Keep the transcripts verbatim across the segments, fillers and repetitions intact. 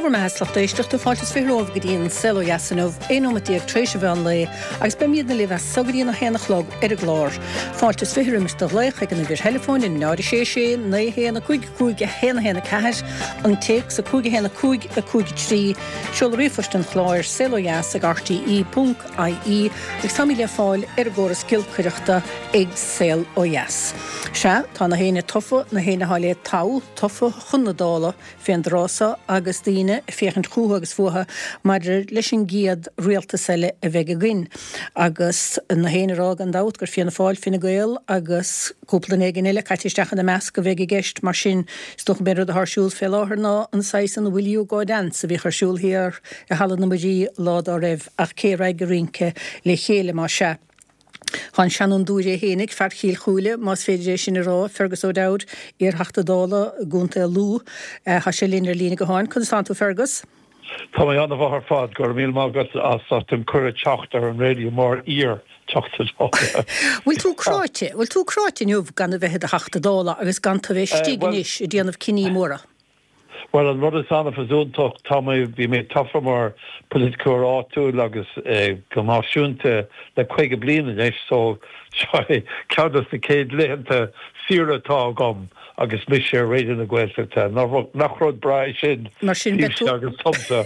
Sé bhur mbeatha lucht éisteachta fáilte is fiche romhaibh go dtí an Saol Ó Dheas inniu, aon nóiméad déag tar éis an mheán lae agus beimidne libh as so go dtí an a haon a chlog ar an gclár. Fáilte is fiche roimis do ghlaoch ag an uimhir theileafóin in náid sé sé naoi haon a cúig cúig a haon a haon a ceathair, an téacs a cúig a haon a cúig a cúig a trí, seoladh ríomhphoist an chláir saolodheas ag rte ponc ie agus táimid le fáil ar an gcóras giolcaireachta ag Saol Ó Dheas. Sea, tá na héinne tofa, na héinne atá le toghadh, tofa chun na Dála fén dtráth so agus daoine ag féachaint chucu agus fúthu maidir leis an gcéad rialtas eile a bheidh againn. Agus na héinne ag rá gan dabht gur Fianna Fáil, Fine Gael agus cúpla duine éigin eile caite isteach ina measc a bheidh i gceist. Mar sin, is dócha gurb é an rud atá ar siúl fé láthair ná an saghas an Will You Go Dance a bhíodh ar siúl thiar i Halla na Muirí lá dá raibh, ach cé a raghaidh ag rince le chéile más ea? Tá an seanfhondúir é fhéinig, fear Chill Chúile, más féidir é sin a rá, Fergus O'Dowd, iar-Theachta Dála i gContae Lú. Tá sé linn ar líne gutháin. Conas tánn tú, Fergus? Tá mé an-mhaith ar fad, go raibh míle maith agat as ucht an cuireadh teacht ar an raidió mar iar-Theachta Dála. Bhfuil tú cráite, bhfuil tú cráite inniu gan a bheith i do Theachta Dála agus gan tú a bheith istigh anois ag déanamh cinní móra? Bhuel, an rud is annamh is iontach, tá mé, bhí mé tofa mar politiceoir áitiúil agus go náisiúnta le caoga bliain anois, so seo é ceann de na céad laethanta saoire atá agam agus mise ar Raidió na Gaeltachta. Nach rud breá é sin, Mar sin, beidh tú, agus domsa.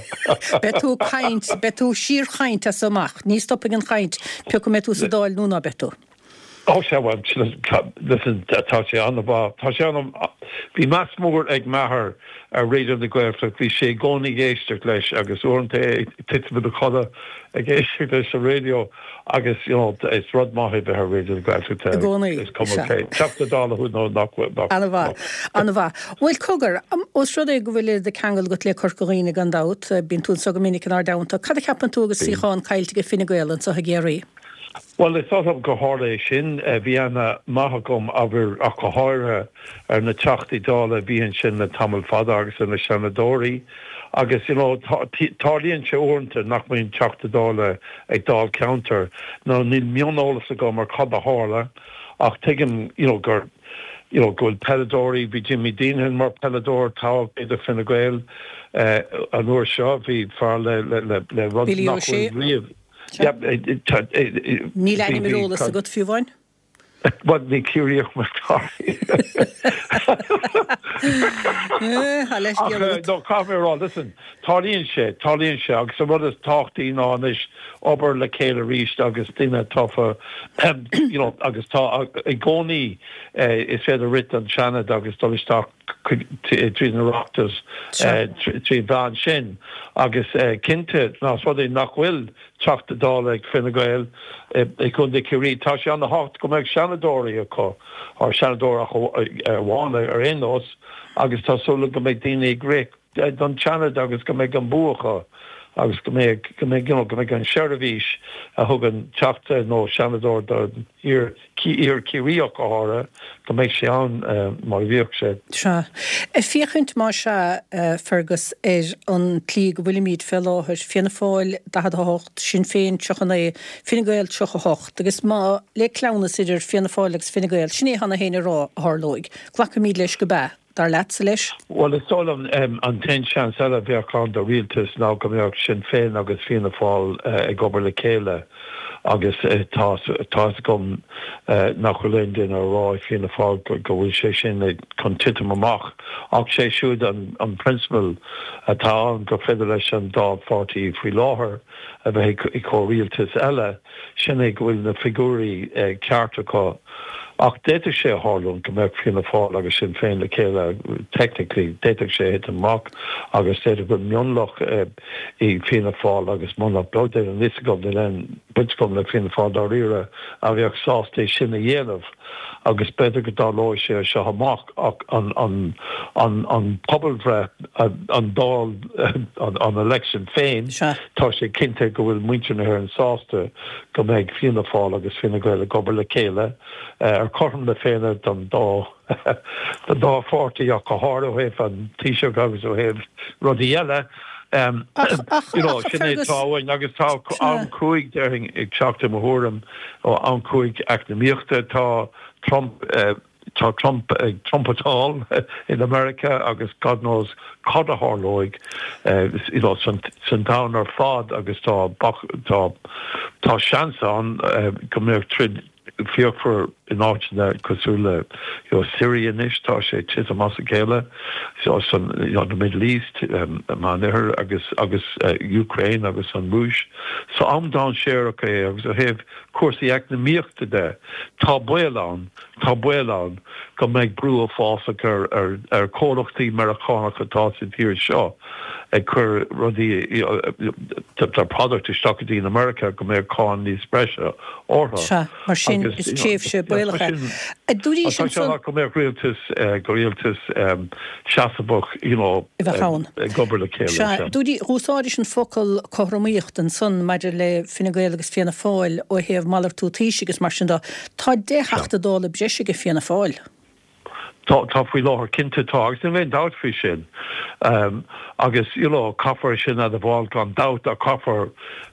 beidh tú ag caint, beidh tú síorchaint as so amach. Ní stopfaidh an chaint, pé acu an mbeidh tú sa Dáil nó ná beidh tú. Ó sea, bhuel, listen, tá sé an-mhaith. Tá sé an, bhí meas mór ag m'athair ar Raidió na Gaeltachta, bhí sé i gcónaí ag éisteacht leis agus uaireanta é ag titim ina chodladh ag éisteacht leis an raidió agus, you know, is rud maith é bheith ar Raidió na Gaeltachta. I gcónaí, Is cuma sea. cé Teachta Dála thú nó nach bhfuil, nach, An-mhaith, an-mhaith. Bhuel, cogar, ós rud é go bhfuil oiread de cheangal agat le Corca Dhuibhne gan dabht, bíonn tú anseo go minic inár dteannta, cad a cheapann tú agus Bíonn. suíochán caillte ag Fine Gael anseo i gCiarraí? Bhuel, is oth liom gur tharla é sin. Bhí aithne maith agam abair ach go háirithe ar na Teachtaí Dála a bhí ansin le tamall fada agus ar na Seanadóirí agus you know tarlaíonn sé uaireanta nach mbíonn Teachta Dála ag Dáilcheantar nó níl mioneolas agam ar cad a tharla ach tuigim you know gur you know go bhfuil peileadóirí, bhí Jimmy Deenihan mar peileadóir toghadh do Fine Gael an uair seo, bhí fear le le le le rud Billy nach O'Shea. bhfuil riamh. Níl ainm ar eolas agat fiú amháin? Bhuel, ní Ciarraíoch mé sorry. Tá leithscéal agat. No, caithfidh mé a rá, listen, tarlaíonn sé, tarlaíonn sé agus an rud is tábhachtaí ná anois obair le chéile arís agus duine tofa, you know, agus tá i gcónaí is féidir rith don Seanad agus dul isteach tríd an Oireachtas trí mheán sin agus cinnte más rud é nach bhfuil Teachta Dála ag Fine Gael i gContae Chiarraí tá sé an-tábhachtach go mbeadh seanadóirí acu or seanadóir amháin ar aon nós agus tá súil go mbeidh daoine ag rith don Seanad agus go mbeidh an bua acu agus go mbeidh go mbeidh you know go mbeidh an seirbhís a thugann teachta nó seanadóir don iar iar Ciarraíoch go háirithe go mbeidh sé ann mar a bhíodh sé. Sea. Ag féachaint más ea, Fergus, ar an tslí go bhfuilimid fé láthair, Fianna Fáil daichead a hocht, Sinn Féin tríocha naoi, Fine Gael tríocha hocht, agus má le cleamhnas idir Fianna Fáil agus Fine Gael, sin é atá na héinne a rá a tharlóidh. Glacfaimid leis go b'ea. Dar leatsa leis? Bhuel, is dóigh liom an t-aon seans eile a bheadh ann do rialtas ná go mbeadh Sinn Féin agus Fianna Fáil ag obair le chéile agus tá fhios agam nach bhfuil aon duine ag rá i Fianna Fáil go bhfuil sé sin chun titim amach ach sé siúd an prionsabal atá ann gur féidir leis an dá pháirtí faoi láthair a bheith i comhrialtas eile, sin é go bhfuil na figiúirí ceart acu. Ach d'fhéadfadh sé a tharlúint go mbeadh Fianna Fáil agus Sinn Féin le chéile, technically, d'fhéadfadh sé a thitim amach agus d'fhéadfadh go bhfuil mionlach i Fianna Fáil agus mionlach beag, níl a fhios agam, níl aon bhaint agam le Fianna Fáil dáiríre, a bheadh sásta é sin a dhéanamh agus b'fhéidir go dtarlóidh sé seo amach ach an an an an pobalbhreith, an Dáil, an election féin, tá sé cinnte go bhfuil muintir na hÉireann sásta go mbeidh Fianna Fáil agus Fine Gael ag obair le chéile ar cothrom na Féinne don dá don dá pháirtí ach go háirithe ó thaobh an Taoiseach agus ó thaobh rudaí eile. Ach, ach, You know, ach, sin é Fergus, atá uainn agus tá sea. am cruaidh déarfainn ag teacht i mo thuairim ó am cruaidh eacnamaíochta tá Trump tá Trump ag trumpetáil in America agus God knows cad a tharlóidh uh, you know, san, san domhan ar fad agus tá tá tá seans ann uh, go mbeadh troid fíochmhar in áiteanna cosúil le you know, Syria anois tá sé titim as a chéile so san you know, the Middle East um, Meánoirthear agus agus uh, Ukraine agus an Rúis so am dainséarach é agus ó thaobh cúrsaí eacnamaíochta de tá baol ann tá baol ann go mbeidh brú uafásach ar ar ar chomhlachtaí Meiriceánacha atá sa tír seo ag cur rudaí tá product isteach go dtí in America go mbeidh cáin níos breise orthu. Sea mar sin is tréimhse baolach é. Dúirí sin go mbeadh rialtas go rialtas seasmhach you know ag obair le chéile. Sea dúirí úsáidis an focal cothromaíocht ansan maidir le Fine Gael agus Fianna Fáil ó thaobh malartú Taoisigh agus mar sin de tá deich dTeachta Dála breise ag Fianna Fáil. Tá tá faoi láthair cinnte tá agus níl aon dabht faoi sin. Um, agus you know, caithfear sin a bháil gan dabht a caithfear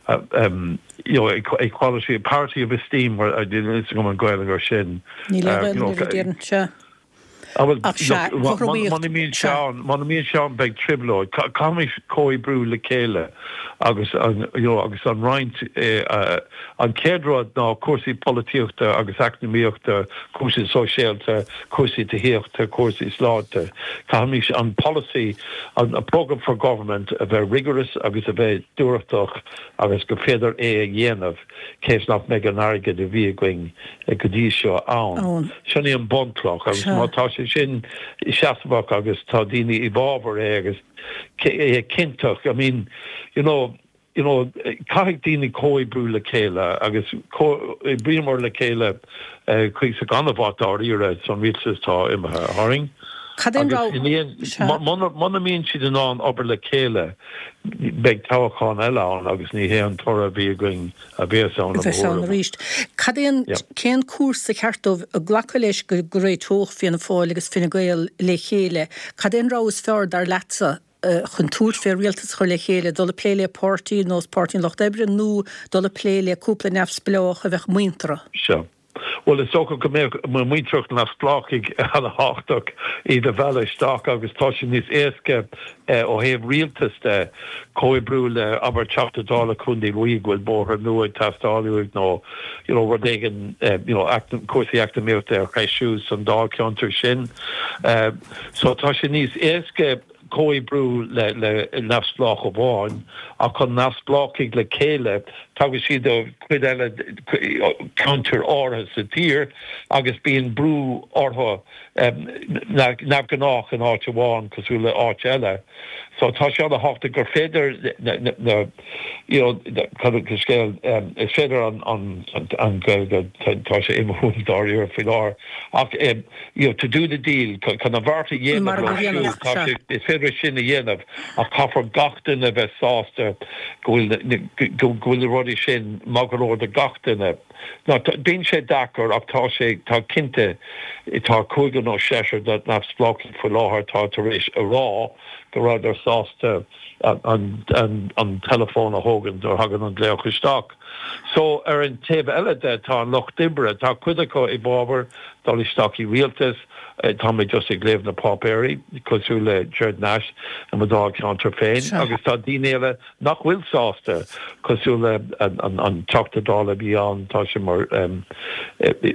uh, um, you know, equality parity of esteem mar an Ghaeilge ar sin. Ní le Muna mbíonn sé muna mbíonn sé ann beidh trioblóid caithfimid comhoibriú le chéile agus an you know, agus an roinnt eh, uh, an chéad rud ná cúrsaí polaitíochta agus eacnamaíochta, cúrsaí sóisialta, cúrsaí tithíochta, cúrsaí sláinte. Caithfimid an policy an a program for government a bheith rigorous agus a bheith dúthrachtach agus go féidir é a dhéanamh cés nach mbeidh an airgead a bhí againn go dtí seo ann. Sin í an bunchloch agus má tá sé sin seasmhach agus tá daoine i bhfabhar é agus é cinnteach. I mean, you know, you know, caithfidh daoine comhoibriú le chéile agus oibríomar le chéile chuig sa ganmhaith dáiríre san rialtas atá imithe tharainn. Muna mbíonn siad in ann obair le chéile beidh toghchán eile ann agus ní hé an toradh a bhí againn a bheas ann arís. Cad é an cén cúrsa ceart dóibh a glacadh leis go go réiteodh Fianna Fáil agus Fine Gael le chéile, Cad é an rogha is fearr dar leatsa chun tabhairt fé rialtas a chur le chéile, dul ag plé le páirtí nós Páirtí an Lucht Oibre nó dul ag plé le cúpla neamhspleách a bheadh muinteartha? Seo. Well is dócha go mbeadh muinteartha neamhspleáchaigh an-tábhachtach iad a mhealladh isteach agus tá sé níos éasca ó thaobh rialtas de comhoibriú le abair Teachta Dála Contae Lú go bhfuil bóthar nua ag teastáil uaidh nó you know rud éigin you know cúrsaí eacnamaíochta a threisiú san dáilcheantar sin. So tá sé níos éasca comhoibriú le le neamhspleách amháin ach chun neamhspleáchaigh le chéile tagann siad ó chuid eile ceantar áirithe sa tír agus bíonn brú orthu neamhghnách in áit amháin cosúil le áit eile. So tá sé an-tábhachtach gur féidir na you know scéal is féidir an an an Gaeilge tá sé imithe dáiríre faoi láthair ach you know to do the deal chun an bheart a dhéanamh tá sé is féidir sin a dhéanamh ach caithfear gach duine bheith sásta go bhfuil go bhfuil na rudaí sin maith go leor do gach duine. Ná bíonn sé deacair ach tá sé tá cinnte tá cúigear nó seisear de neamhspleáchaigh faoi láthair atá tar éis a rá go rabhadar sásta an an an teileafón a thógaint nuair a thagann an glaoch isteach. So ar an taobh eile de tá an lucht oibre, tá cuid acu i bhfabhar dul isteach i rialtas, tá mé just ag léamh na páipéirí cosúil le Gerard Nash i mo dháilcheantar féin agus tá daoine eile nach bhfuil sásta cosúil le an an an Teachta Dála a bhí ann tá sé mar um,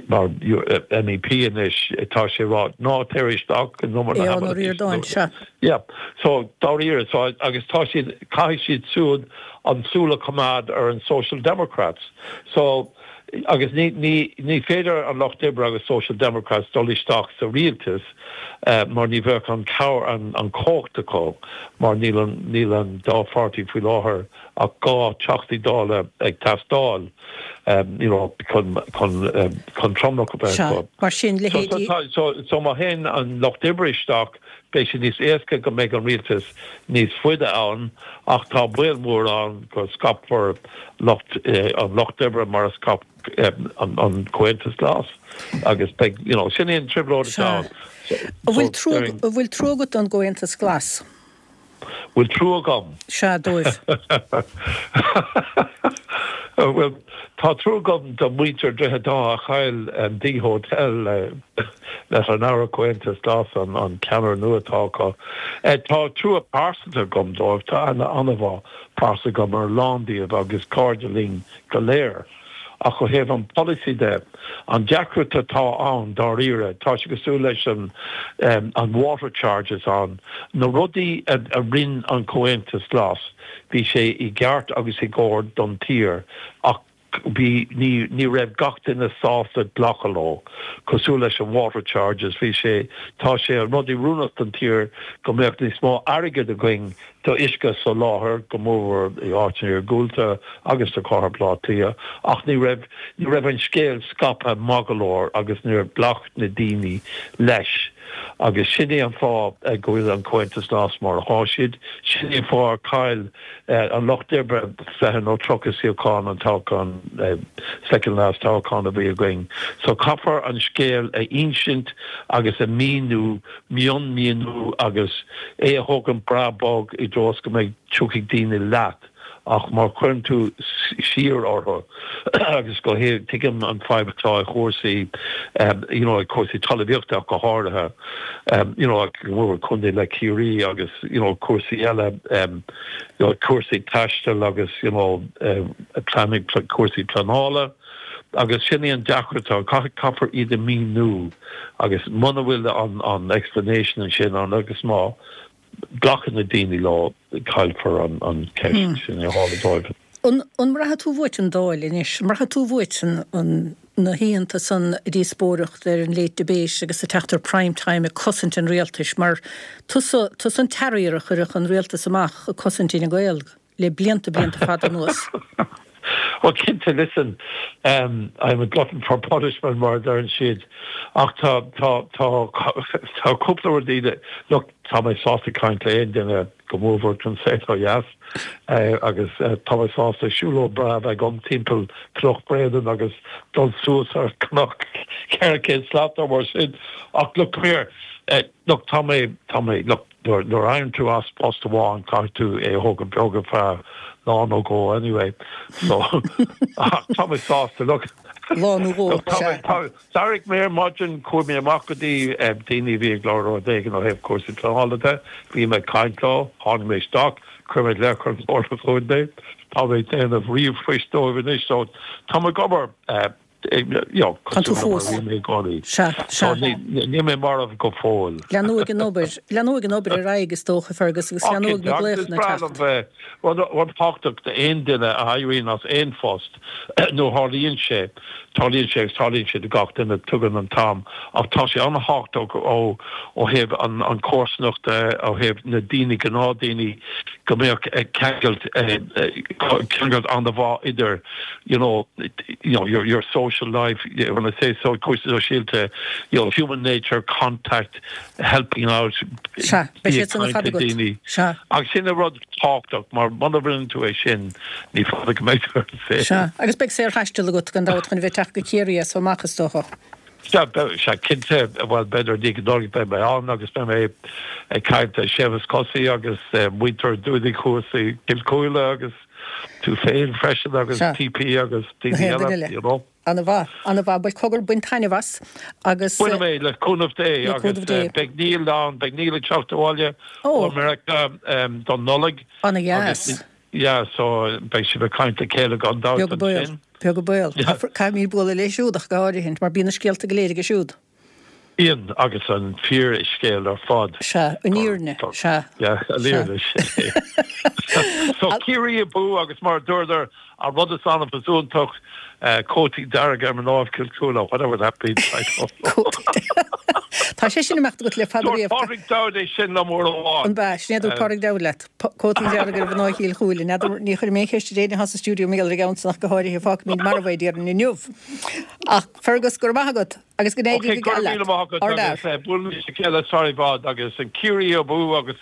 mar MEP anois tá sé ag rá ná tar isteach an number Yeah so dáiríre so agus tá siad caithfidh siad siúd an súil a choimeád ar an Social Democrats so agus ní ní ní féidir an Lucht Oibre agus Social Democrats dul isteach sa rialtas uh, mar ní bheadh an cabhair an an chumhacht acu mar níl an níl an dá pháirtí faoi láthair ach dhá Teachta Dála ag teastáil um, you know chun chun um, chun tromlach a bheith acu. Mar sin So, leithéidí so, so, so má théann an Lucht Oibre isteach beidh sé níos éasca go mbeidh an rialtas níos faide ann ach tá baol mór ann go scaipfear lucht eh, an Lucht Oibre mar a scaip eh, an, an Comhaontas Glas agus beidh you know, sin é an trioblóid Sea. ann. An bhfuil trua an bhfuil trua agat don gComhaontas Glas? Bhfuil trua agam. Sea dóibh. Well, tá trua agam do mhuintir Droichead Átha a chaill an D Hotel leis an Aire Comhaontas Glas an an ceannaire nua atá acu. Tá trua pearsanta agam dóibh, tá aithne an-mhaith pearsanta agam ar a lán díobh agus cairde linn go léir. Ach ó thaobh an polasaí de, an deacracht atá ann dáiríre, tá sé cosúil leis an an water charges ann, na rudaí a a rinne an Comhaontas Glas, bhí sé i gceart agus i gcóir don tír ach bhí ní ní raibh gach duine sásta glacadh leo, cosúil leis an water charges, bhí sé tá sé an rud oiriúnach don tír go mbeadh níos mó airgead againn do uisce soláthair, go mórmhór i áiteanna iargúlta agus do chathair Bhaile Átha Cliath, ach ní raibh ní raibh an scéal scaipthe maith go leor agus níor ghlac na daoine leis. Agus sin é an fáth go bhfuil an Comhaontas Glas mar atá siad. Sin é an fáth ar chaill an Lucht Oibre fiche nó tríocha suíochán an toghchán, second last toghchán a bhí againn. So caithfear an scéal a insint agus a mhíniú, mionmhíniú agus é a thógaint breá bog i dtreo is go mbeidh tiocfaidh daoine leat. Ach má chuireann tú siar orthu agus go tuigim an fadhb atá i chúrsaí you know cúrsaí talmhaíochta ach go háirithe you know go mór contae le Ciarraí agus you know cúrsaí eile you know cúrsaí taistil agus you know planning cúrsaí pleanála agus sin í an deacracht atá caithfear iad a mhíniú agus muna bhfuil an an explanation ansin ann agus má glacann na daoine leo, caillfear an ceist sin a tharla dóibh. An mbraithfidh tú uait an Dáil anois? An mbraithfidh tú uait na hoícheanta san díospóireacht ar an Late Debate agus ag teacht ar Prime Time ag cosaint an rialtais mar tusa tusa an terrier a chuirfeadh an rialtas amach ag cosaint Fhine Gael le blianta blianta fada anuas? Well cinnte, listen, um, I'm a glutton for punishment mar a deireann siad ach tá tá tá tá cúpla rud look tá mé sásta caint le aon duine go mórmhór an saol ó dheas eh, agus eh, tá mé sásta siúlóid breá a bheith agam timpeall Cnoc Bréanainn agus dul suas ar cnoc ceithre chéad slat nó mar sin ach look come here eh, look tá mé tá mé look nuair nuair a éiríonn tú as post amháin caithfidh tú é a thógaint beag ar feadh lá nó dhó anyway so ach tá mé sásta look Lá nó dhó, look, tá sea. mé tá d'éirigh mé ar maidin chuaigh mé amach go dtí eh, daoine a bhí ag lorg rud éigin ó thaobh cúrsaí pleanála de bhí mé ag caint leo tháinig mé isteach chuir mé glaoch ar an Chomhairle Chontae tá mé ag déanamh ríomhphoist dóibh anois so tá mé ag obair eh, Tá tú fós. Sea, sea. Níl mé marbh go fóill. Leanfaidh an obair, leanfaidh an obair ar aghaidh is dócha, Fergus, agus leanfaidh na glaochanna ag teacht. Rud tábhachtach d'aon duine a éiríonn as aon phost nó tarlaíonn sé, tarlaíonn sé agus tarlaíonn sé do gach duine, tugann an t-am, ach tá sé an-thábhachtach ó ó thaobh an an chomharsanacht de, ó thaobh na daoine, gnáthdhaoine, go mbeadh ceangailt ceangailt an-mhaith idir you know, you know, your, your social life, when I say so, cúrsaí sóisialta, you know, human nature, contact, helping out, Sea, beidh bí siad ag san ar caint fad le agat. daoine. Sea. Agus sin an rud tábhachtach, mar muna rinneann tú é sin, ní fada go mbeidh tú ar an saol. Sea, agus beidh saorthaisteal agat gan dabht chun a bheith ag teacht go Ciarraí as so amach is dócha. Sea, sea, cinnte, bhuel, b'fhéidir ní go Nollaig beidh mé ann agus beidh mé ag caint le Séamus Cosaí agus muintir Dúdaigh thuas i gCill Chúile agus tú féin freisin agus Sea. TP agus Na daoine haon duine eile, eile. you know. Ana-mhaith, ana-mhaith. Bhuel, cogar, bain taitneamh as agus. Bainfidh mé, le cúnamh Dé, Le agus cúnamh Dé. beidh Neil ann, beidh Neil ag teacht abhaile ó Ó. Meiriceá don Nollaig. Ana-dheas. Agus yeah, so beidh sibh ag caint le chéile gan dabht Beag an baol, ansin. beag an baol. Yeah. Caithfimid bualadh léi siúd ach go háirithe, mar bíonn na scéalta go léir aige siúd. Bíonn, agus an fíorscéal ar fad. Sea, an fhírinne, sea. Yeah, an fhírinne, sin é. So Ciarraí abú agus mar a dúradar, an rud is annamh is iontach, cótaí dearga ar mná Chill Chúile, whatever that means, I don't know. Tá sé sin imeacht agat le fada Dúirt riamh. Pádraig Dowd é sin liom uair amháin. An b'ea, sin é a dúirt Pádraig Dowd leat, cótaí dearga ar mhná Chill Chúile. N'fheadar, ní chuirfidh mé aon cheist ar éinne atá sa stiúideo mar gheall ar an gceann san ach go háirithe, fágfaimid marbh é déarfainn inniu. Ach Fergus, go raibh maith agat agus go n-éirí Ok, go go geal raibh míle leat. maith agat Ár agus bhfear. buailfimid le chéile sar i bhfad agus an Ciarraí abú agus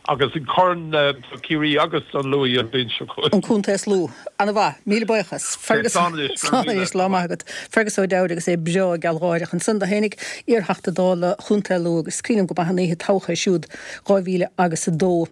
agus an corn do Chiarraí agus don Lú an bhliain seo chugainn. An contae is lú. Ana-mhaith. Míle buíochas. Fergus, Slán anois, go raibh slán míle. anois, lá maith agat. Fergus O'Dowd agus é breá gealgháireach ansan do fhéinig, iarTheachta Dála Chontae Lú agus cuimhním go maith an oíche toghcháin siúd dhá mhíle agus a dó.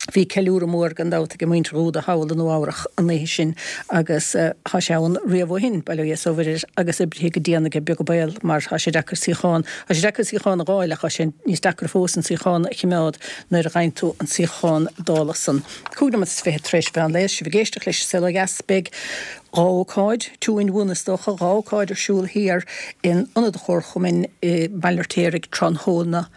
Bhí ceiliúradh mór gan dabht ag muintir Dhúda thall i Nua Eabhrach an oíche sin agus tá sé ann riamh ó shin, bail ó Dhia is ó Mhuire air, agus oibrithe go dian aige beag an baol mar tá sé deacair suíochán, tá sé deacair suíochán a dh'fháil ach tá sé níos deacra fós an suíochán a chimeád nuair a dh'fhaigheann tú an suíochán Dála san. Cúig nóiméad is fiche tar éis mheán lae, sibh ag éisteacht leis an Saol Ó Dheas, beidh dhá ócáid, two in one is dócha, dhá ócáid ar siúl thiar in Ionad an Chomharchumainn i mBaile an Fheirtéaraigh tráthnóna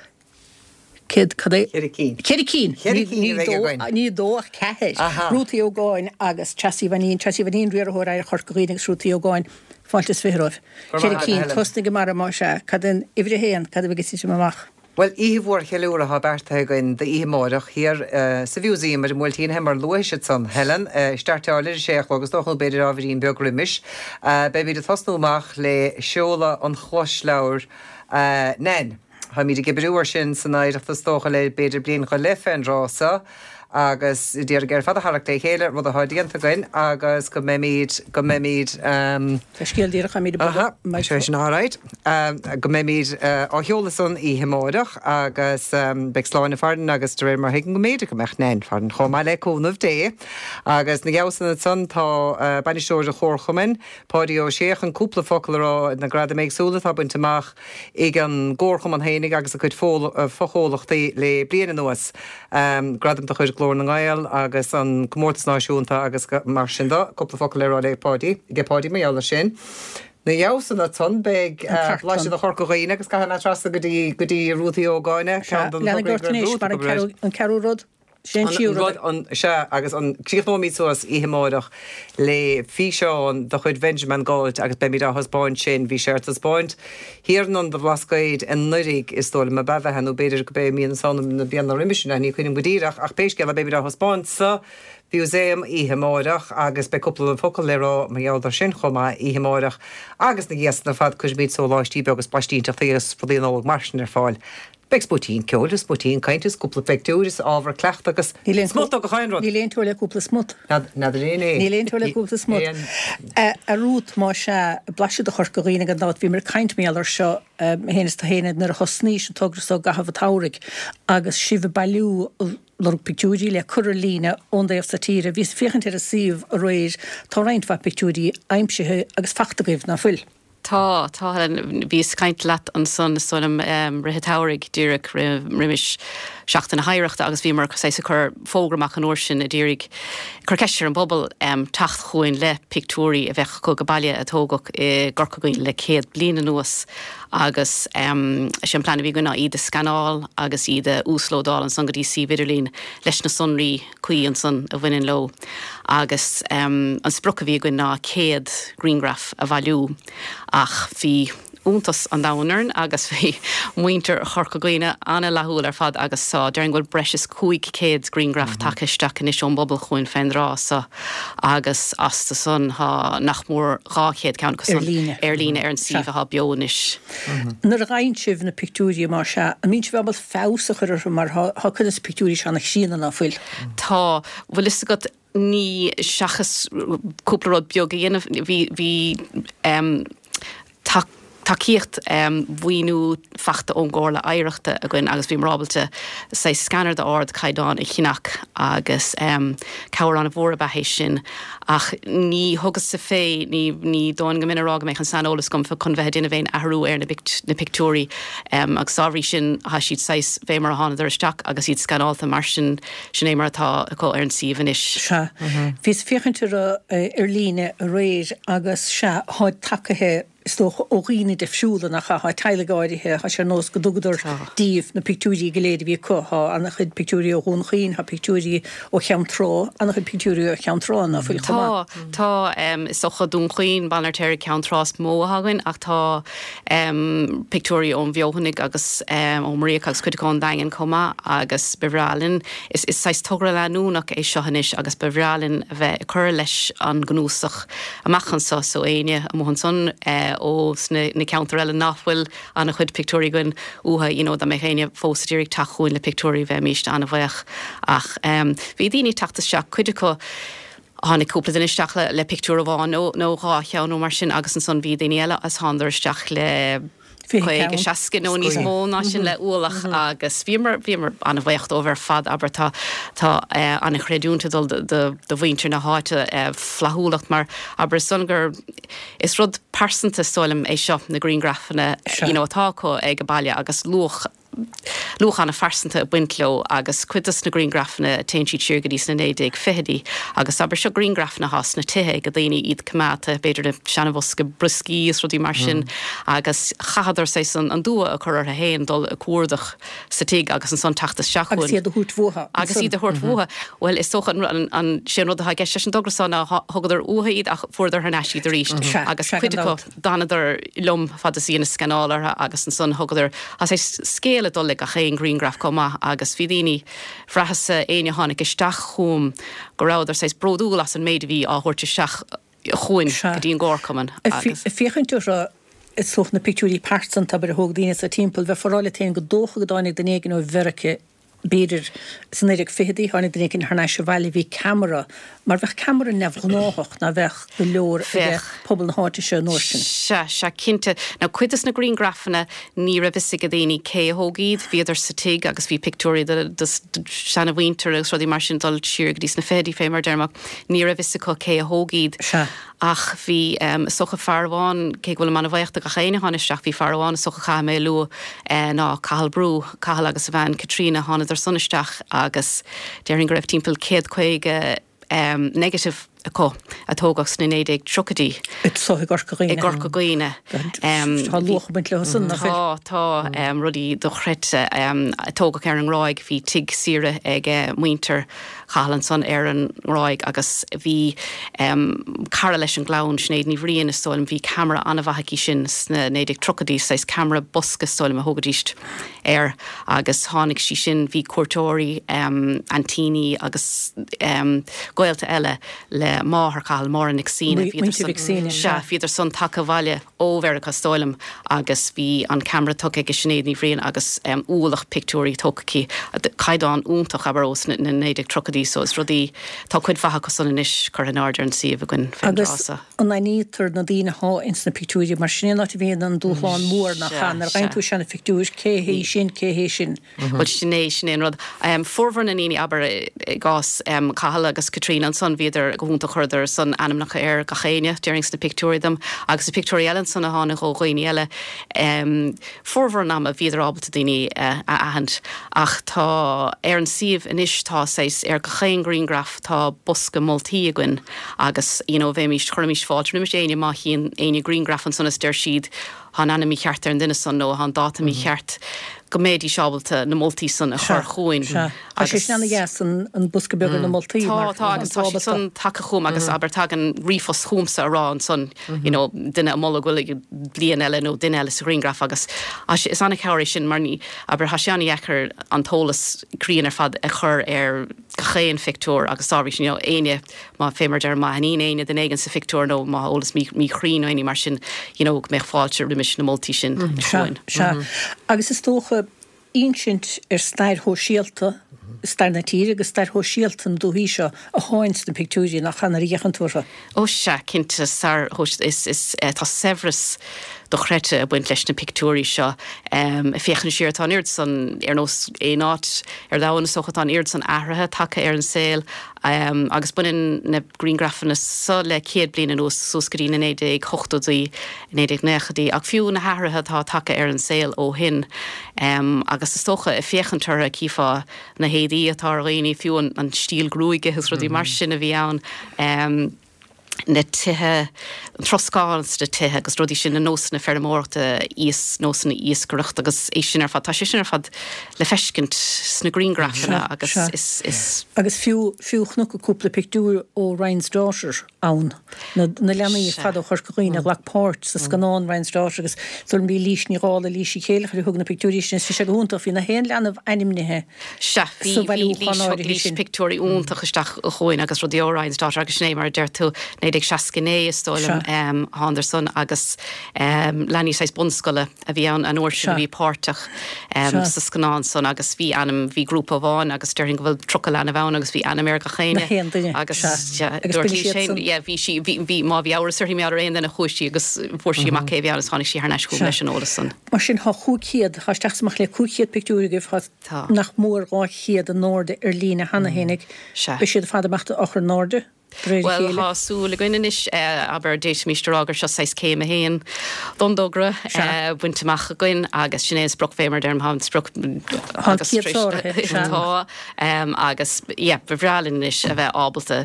Céad, cad é? Ceithre cinn. Ceithre cinn! Ceithre cinn a bheidh againn. Ní dó ach ceathair. Aha. Ruth Uí Ógáin agus Treasa Uí Mhainín, Treasa Uí Mhainín, Riarthóir Oidhreacht Chorca Dhuibhne agus Ruth Uí Ógáin, fáilte is fiche romhaibh. Go raibh Ceithre maith agat, cinn. Helen. Tosnaigh a Mara, más ea. Cad é an uimhir a haon, cad a bheidh ag titim amach? Bhuel, oíche mhór cheiliúrtha atá beartaithe againn d'oíche amárach thiar sa Mhúsaem ar an mBuailtín, fé mar a luaigh tusa, Helen. Startáil ar a sé a chlog, is dócha, nó b'fhéidir ábhairín beag roimis. Beimid ag tosnú amach le seoladh an chlosleabhair Nan. Táimid ag oibriú air sin san Oidhreacht is dócha le b'fhéidir bliain go leith fén dtráth so agus d'iarraidh ar fad a tharrac le chéile, rud atá déanta againn agus go mbeimid, go mbeimid ehm. Tá scéal díreach, táimid ag Aha, sé sin alright. Go mbeimid á sheoladh san oíche amárach agus beidh Sláine farainn agus de réir mar a thuigim go mb'fhéidir go mbeadh Nan farainn chomh maith le cúnamh Dé. Agus ina dhiaidh san ansan tá bainisteoir an Chomharchumainn, Páidí Ó Sé chun cúpla focal a rá ar na gradaim éagsúla atá bainte amach ag an gComharchumann fhéinig agus a chuid fochomhlachtaí le bliain anuas, gradaim de chuid Ghlór na nGael agus an Comórtas Náisiúnta agus mar sin de. Cúpla focal le rá le Páidí, aige Páidí mar gheall air sin. Ina dhiaidh san ansan beidh blaiseadh de Chorca Dhuibhne agus caithfidh mé trasna go dtí go dtí Ruth Uí Ógáin, ceann de na Lean ort anois mar an ceathrú rud. Sin an tríú rud. An, sea, agus an, críochnóimid suas oíche amárach le físeán de chuid Bhenjamin Gault agus beimid á thaispeáint sin, bhí sé ar taispeáint thiar in Ionad an Bhlascaoid anuraidh, is dóigh liom, ab ea, bheatha, nó b'fhéidir go b'é mí na Samhna na bliana roimis sin, ní cuimhin liom go díreach, ach pé scéal é beimid á thaispeáint sa Mhúsaem oíche amárach agus beidh cúpla focal le rá mar gheall air sin chomh maith oíche amárach agus ina dhiaidh san ar fad cuirfimid sóláistí beaga is blaistínteachtaí agus rudaí Nollag mar sin ar fáil. Beidh smúitín ceoil is smúitín cainte is cúpla pictiúr is ábhar cleachtaidh agus smut de gach aon rud. Níl aon teora le cúpla smut. N'fheadar aon é. Níl aon teora le cúpla smut. A Ruth, más ea, blaiseadh de Chorca Dhuibhne gan dabht, bhíomar ag caint mar gheall air seo, mé féin is tú féin, nuair a thosnaís an togra so i gcaitheamh an tsamhraidh agus sibh ag bailiú, lorg pictiúirí le cur ar líne ón dtaobh so tíre. Bhíos ag féachaint ar an suíomh aréir, tá roinnt mhaith pictiúirí aimsithe agus fachta agaibh, ná fuil? Tá, tá Helen. Bhíos ag caint leat ansan is dóigh liom rith an tsamhraidh, díreach roimis Seachtain na hOidhreachta agus bhíomar saghas ag cur fógra amach an uair sin ag iarraidh cur ceist ar an bpobal teacht chugainn le pictiúirí a bheadh acu ag baile a tógadh i gCorca Dhuibhne le céad bliain anuas agus is é an plean a bhí againn ná iad a scanáil agus iad a uaslódáil ansan go dtí suíomh idirlín leis na sonraí cuí ansan a bhaineann leo agus an sprioc a bhí againn ná céad grianghraf a bhailiú ach bhí iontas an domhain orainn agus bhí muintir Chorca Dhuibhne an-fhlaithiúil ar fad agus tá, déarfainn go bhfuil breis is cúig céad grianghraf tagtha isteach anois ón bpobal chugainn fén dtráth so agus astu san tá nach mór dhá chéad ceann acu san ar líne ar an suíomh atá beo anois. Nuair a fhaigheann sibh na pictiúirí, más ea, an mbíonn sibh ábalta feabhas a chur orthu mar tá cuid de na pictiúirí seo ana-chríonna, ná fuil? Tá. Bhfuil fhios agat, ní, seachas cúpla rud beag a dhéanamh, bhí, bhí em tacaíocht mhaoiniú fachta ón gComhairle Oidhreachta againn agus bhíomar ábalta saghas scanner d'ardchaighdeán a cheannach agus cabhair an-mhór ab ea é sin. Ach ní thugas-sa fé, ní, ní dóigh go mbeinn ag rá go mbeadh an saineolas agam chun bheith ag déanamh aon athrú ar na, na pictiúirí agus dá bhrí sin tá siad saghas fé mar a thánadar isteach agus iad scanálta mar sin, sin é mar atá acu ar an suíomh anois. Sea. Bhíos ag féachaint orthu ar líne aréir agus sea, táid tacaithe is dócha, ó dhaoine difriúla, nach ea? Tá teaghlaigh áirithe, tá sé ar nós go dtugadar díobh na pictiúirí go léir a bhí acu. Tá an-chuid pictiúirí ó Dhún Chaoin, tá pictiúirí ó Cheann Trá, an-chuid pictiúirí ó Cheann Trá, ná fuil, chomh maith? Tá, tá. Is dócha Dún Chaoin, Baile an Fheirtéaraigh, Ceann Trá is mó atá againn ach tá pictiúirí ón bhFeothanaigh agus ó Mhuiríoch agus cuid acu ón Daingean chomh maith agus ba bhreá linn, is saghas togra leanúnach é seo anois agus ba bhreá linn a bheith ag cur leis an gcnuasach amach anso so éinne amuigh ansan ó sna na ceantair eile nach bhfuil an-chuid pictiúirí againn uathu, you know dá mbeadh éinne fós ag iarraidh teacht chugainn le pictiúirí bheimíst an-bhuíoch ach bhí daoine ag teacht isteach, cuid acu, tháinig cúpla duine isteach le le pictiúr amháin nó nó dhá cheann nó mar sin agus ansan bhí daoine eile agus thánadar isteach le caoga, seasca nó níos mó ná sin le ualach agus bhíomar bhíomar an-bhuíoch dóibh ar fad, abair tá tá an-chreidiúint ag dul do mhuintir na háite flaithiúlacht mar abair is dóigh liom gur is rud pearsanta is dóigh liom é seo na grianghrafanna you know atá acu ag baile agus luach luach an-phearsanta ag baint leo agus cuid dos na grianghrafanna téann siad siar go dtí sna naoi déag fichidí agus abair seo grianghrafanna atá sna tithe ag daoine iad coimeádta b'fhéidir i seanabhosca brioscaí is rudaí mar sin agus chaitheadar saghas an an dua a chur orthu féin dul ag cuardach sa tigh agus ansan teacht isteach Agus iad a thabhairt uathu. Agus iad a thabhairt uathu. Bhuel is dócha an an an sé an rud atá i gceist leis an dtogra seo ná thugadar uathu iad ach fuaireadar thar n-ais iad arís agus cuid acu d'fhanadar liom fad is a dheineas scanáil orthu agus ansan thugadar tá saghas scéal ag dul le gach aon ghrianghraf chomh maith agus bhí daoine, bhraitheas-sa, éinne a tháinig isteach chugam go rabhadar saghas bródúil as an méid a bhí á thabhairt isteach chugainn go dtí an gcomharchumann agus. Ag féachaint orthu is dócha na pictiúirí pearsanta abair a thóg daoine sa timpeall, bheifeá ag rá leat féin gur dócha go dtáinig duine éigin ó Mheirice b'fhéidir sna naoi déag fichidí, tháinig duine éigin thar n-ais abhaile, bhí ceamara, mar bheadh ceamara neamhghnáthach ná bheadh go leor ag pobal na háite seo an uair sin. Sea, sea, cinnte. Now cuid des na grianghrafanna ní raibh fhios ag daoine cé a thóg iad, bhíodar sa tigh agus bhí pictiúirí de de seana-mhuintir agus rudaí mar sin dul siar go dtí sna fichidí fé mar a deirim ach ní raibh fhios acu cé a thóg iad. Sea. Ach bhí, is dócha fear amháin, cé go bhfuilim an-bhuíoch de gach éinne a tháinig isteach, bhí fear amháin is dócha a chaithfidh mé a lua ná Cathal Brú, Cathal agus a bhean Caitríona, thánadar san isteach agus déarfainn go raibh timpeall céad caoga negative acu a tógadh sna naoi déag tríochaidí. Anseo i gCorca Dhuibhne. I gCorca Dhuibhne. Tá luach ag baint leo san, nach bhfuil? Tá, tá, rudaí dochreidte a tógadh ar an nGráig, bhí tigh saoire ag muintir Chathail ansan ar an nGráig agus bhí cara leis an gclann, Sinéad Ní Bhriain is dóigh liom, bhí ceamara an-mhaith aici sin sna naoi déag tríochaidí, saghas ceamara bosca is dóigh liom a thugaidís air agus tháinig sí sin, bhí cuairteoirí, aintíní agus gaolta eile le máthair Chathail, Máire Nic Suibhne, bhíodar bhíodar san tagtha abhaile ó Mheiriceá is dóigh liom agus bhí an ceamara tugtha ag Sinéad Ní Bhriain agus ualach pictiúirí tógtha aici, caighdeán iontach abair ós na naoi déag tríochaidí so is rudaí, tá cuid mhaith acu san anois curtha in airde ar an suíomh againn fén Agus dtráth seo. an aithnítear na daoine athá ins na pictiúirí mar sin é an áit a bhíonn an dúshlán mór nach ea, nuair a fhaigheann tú seana-phictiúir, cé hé sin, cé hé sin? Bhuel sin é, sin é an rud. Formhór na ndaoine abair i gcás Cathal agus Caitríona ansan bhíodar go hiontach chuireadar san ainmneacha ar gach éinne déarfainn sna pictiúirí dom agus na pictiúirí eile ansan a tháinig ó dhaoine eile formhór an ama bhíodar ábalta daoine a aithint ach tá ar an suíomh anois tá saghas ar gach aon ghrianghraf tá bosca moltaí againn agus you know bheimís chuirimis fáilte roimis éinne má chíonn éinne grianghraf ansan is deir siad Tá an ainm mícheart ar an duine san nó tá an dáta mícheart, go mbeidís ábalta na moltaí san a chur chugainn. Sea, tá sé sin ana-dheas, an bosca beag ar na moltaí mar. Tá, tá, agus tá siad san tagtha chugam agus abair tagann ríomhphost chugamsa a rá ansan, you know, duine ag moladh go bhfuil bliain eile nó duine eile sa ghrianghraf agus is an-chabhair é sin mar ní, abair, tá sé an-dheacair an t-eolas cruinn ar fad a chur ar gach aon phictiúr agus dá bhrí sin, you know, éinne, má, fé mar a deirim, má aithníonn éinne duine éigin sa phictiúr nó má tá eolas míchruinn nó aon ní mar sin, you know, go mbeadh fáilte roimis na moltaí sin Sea, chugainn. sea. Agus is dócha, insint ar stair shóisialta, stair na tíre agus stair shóisialta na dúthaí seo athá ins na pictiúirí, nach ea, nuair a fhéachann tú orthu. Ó sea, cinnte, stair shóisialta, is, is, tá saibhreas dochreidte ag baint leis na pictiúirí seo. Ag féachaint siar, tá an oiread san, ar nós aon áit ar domhan is dócha, tá an oiread san athraithe tagtha ar an saol agus baineann na grianghrafanna seo le céad bliain anuas, suas go dtí na naoi déag hochtóidí, naoi déag naochaidí, ach fiú na hathruithe atá tagtha ar an saol ó shin agus is dócha ag féachaint orthu cífeá na héadaí atá ar dhaoine, fiú an stíl gruaige agus rudaí mar sin a bhí ann. na tithe, an troscán sna tithe agus rudaí sin, na nósanna feirmeoireachta, nósanna iascaireachta agus é sin ar fad, tá sé sin ar fad le feiscint sna grianghrafanna agus is, is. Agus fiú, fiú chonac cúpla pictiúr ó Ryan's Daughter ann, na, na leanaí ar fad ó Chorca Dhuibhne a ghlac páirt sa scannán Ryan's Daughter agus is dóigh liom bhí Lís Ní Dhálaigh, Lís Uí Chéilleachair a thug na pictiúirí sin, is bhí sé go hiontach, bhí na haon leanbh ainmnithe Sea, bhí, sa bhí bhailiúchán Lís, thug áirithe Lís sin. pictiúirí iontacha isteach chugainn agus rudaí ó Ryan's Daughter agus sin é mar a deir tú, naoi naoi déag seasca naoi is dóigh liom thánadar san agus leanaí saghas bunscoile a bhí ann an uair sin a bhí páirteach sa scannán san agus bhí ainm, bhí grúpa amháin agus déarfainn go bhfuil tríocha leanbh ann agus bhí ainm ar gach éinne agus dúirt sí sin, yeah, bhí sí, bhí, bhí, má bhí amhras uirthi mar aon duine chuaigh sí agus fuair sí amach cé bhí ann agus tháinig sí thar n-ais chugam leis an eolas san. Mar sin tá chúig chéad, tá isteach is amach le cúig chéad pictiúr agaibh, tá nach mór dhá chéad in airde ar líne cheana fhéinig. Beidh siad ar fad ag imeacht á chur in airde de réir a Bhuel, chéile. tá súil againn anois, abair, d'fhéadfaimis a rá gur seo saghas céim a haon don dtogra bainte amach againn agus sin é an sprioc fé mar a deirim, tá an sprioc Tá an agus céad sáraithe, sea. Tá, agus yeah, ba bhreá linn anois a bheith ábalta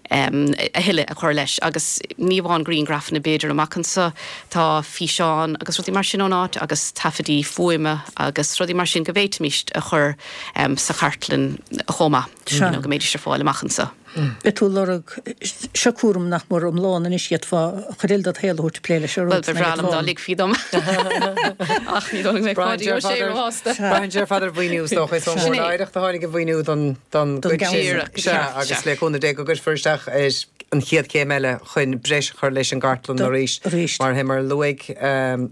a thuilleadh a chur leis agus ní amháin grianghrafanna b'fhéidir amach anseo, tá físeáin agus rudaí mar sin ón áit agus taifidí fuaime agus rudaí mar sin go bhféadfaimis a chur sa chartlann chomh maith, you know, go mbeidís ar fáil amach anseo. Beidh tú ag lorg, seo cúram nach mór iomlán anois, d'fhéadfá cuid eile dod shaol a thabhairt ag plé leis an Bhuel, rud ba bhreá liom dá ligfí dom. Ach ní dóigh liom go mbeidh Páidí Ó Sé róshásta. Braitheann sé ar fad ar mhaoiniú is dócha, is ón Sin é. Bhord Oidhreachta a tháinig an mhaoiniú don don Don gcuid sin. Díreach, Sea, sea, agus sea. le cúnamh Dé go gcuirfear isteach ar an chéad chéim eile chun breis a chur leis an gcartlann arís. Arís. Mar mar a luaigh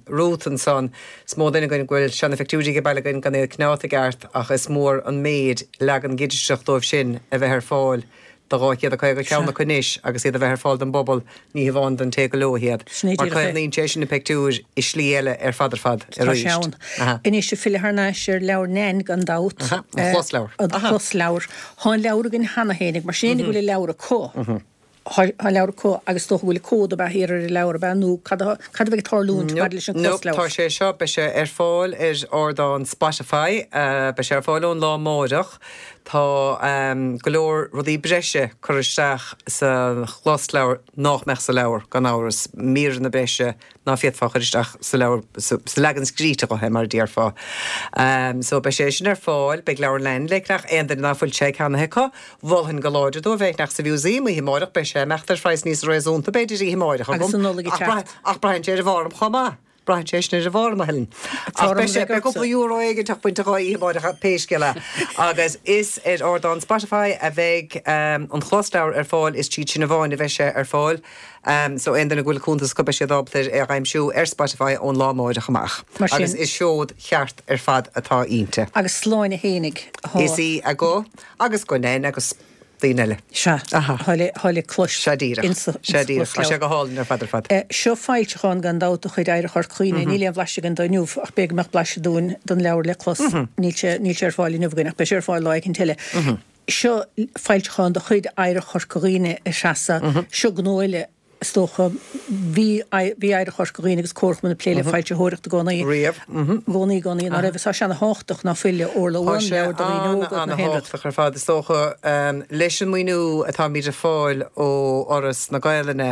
Ruth ansan, is mó duine againn go bhfuil seana-phictiúirí ag baile againn gan iad coinneáilte i gceart ach is mór an méid leagan digiteach dóibh sin a bheith ar fáil do dhá chéad a caoga ceann acu anois agus iad a bheith ar fáil don bpobal, ní hamháin don té go leo iad. Sin é Mar díreach é. caomhnaíonn sé sin na pictiúir i slí eile ar fad ar fad Tá arís. sé ann. Aha. Anois ag filleadh thar n-ais ar leabhar Nan gan dabht. Aha, an closleabhar. An closleabhar. Tá an leabhar againn cheana fhéinig, mar sin go bhfuil an leabhar acu. Tá an leabhar acu agus is dócha go bhfuil cód ab ea thiar ar an leabhar ab ea nó cad a cad a bheidh ag tarlúint maidir leis an No, closleabhar? tá sé seo, beidh sé ar fáil ar ardán Spotify, beidh sé ar fáil ón lá amárach. Tá go leor rudaí breise curtha isteach sa chlosleabhar nach mbeadh sa leabhar, gan amhras, míreanna breise ná féadfá a chur isteach sa leabhar, sa leagan scríte dhe, mar a déarfá. So beidh sé sin ar fáil, beidh leabharlann le ceannach, aon duine ná fuil sé ceannaithe acu, mholfainn go láidir dóibh é a cheannach sa mhúsaem oíche amárach, beidh sé ag imeacht ar phraghas níos réasúnta b'fhéidir oíche amárach Agus agam. an Nollaig ag teacht. Ach braitheann sé ar an bhform chomh maith. Braitheann sé sin ar an bhform, a Helen. Ach beidh sé, beidh cúpla euro éigin bainte dhe oíche amárach pé scéal é. Agus is ar ardán Spotify a bheidh an closleabhar ar fáil, is tríd sin amháin a bheidh sé ar fáil. So aon duine go bhfuil cuntas acu beidh siad ábalta é a aimsiú ar Spotify ón lá amárach amach. Mar sin. Agus is seod cheart ar fad atá inti. Agus Sláine fhéinig atá. Is í a guth agus guth Nan agus daoine eile. Sea, tá le, tá le clos. Sea díreach. Insa, Sea insa díreach. Tá sé closleabhar. go hálainn ar fad ar fad. Eh, seo foilseachán gan dabht de chuid Oidhreacht Chorca Dhuibhne. Níl aon bhlaiseadh againn de inniu ach b'fhéidir go mbeadh blaiseadh dúinn den leabhar le clos. Níl sé, níl sé ar fáil inniu againn ach beidh sé ar fáil lá éicint eile. Seo foilseachán de chuid Oidhreacht Chorca Dhuibhne a Threasa. Seo gnó eile is dócha. Bhí, bhí Oidhreacht Chorca Dhuibhne agus Comharchumann ag plé le foilsitheoireacht i gcónaí. Riamh. I gcónaí, i gcónaí. Ná raibh, tá sé ana-thábhachtach ná fuil, Orla, Tá uaim, sé leabhar do dhaoine óga, na haon rud. an-thábhachtach ar fad. Is dócha, leis an maoiniú atáimid ag fáil ó Fhoras na Gaelainne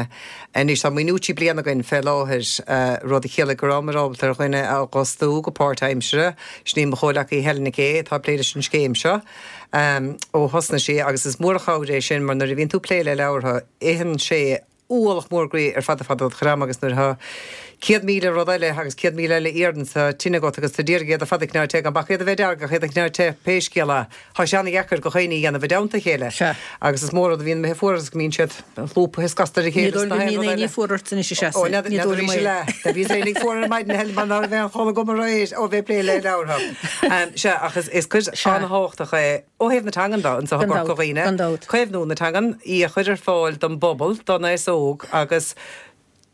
anois, tá maoiniú trí bliana againn fé láthair, rud a chiallaigh go rabhamar ábalta ar dhuine a dh'fhostú go páirtaimseartha, sin í mo chomhleacaí Helen Nic Aodha atá ag plé leis an scéim seo ó thosnaigh sí agus is mór an chabhair é sin mar nuair a bhíonn tú ag plé le leabhartha, itheann sé ualach mór groí ar fad ar fad dod chuid ama agus nuair atá céad míle rud eile agus céad míle eile iarrann sa tine agat agus tú d'iarraidh iad ar fad a choinneáil te gan bac iad a bheith dearg ach iad a choinneáil te pé scéal é. Tá sé ana-dheacair do dhaoine a dhéanamh i dteannta a chéile. Sea. Agus is mór rud a bhíonn imithe fuar agus go mbíonn siad lúbtha is gasta ar a Ní chéile dóigh is go na haon mbíonn rud éinne eile. fuar ort anois a Ó, Threasa. n'fheadar Ní dóigh arís liom é. eile. Tá bhí éinne fuar ar maidin Helen mar ná raibh aon chodladh agam aréir ó bheith ag plé le leabhartha. Sea, ach is is cuid Sea. an-thábhachtach é ó thaobh na teangan de anseo i Gan gCorca dabht, Dhuibhne. gan dabht. Caomhnú na teangan, í a chur ar fáil don bpobal, don aos óg agus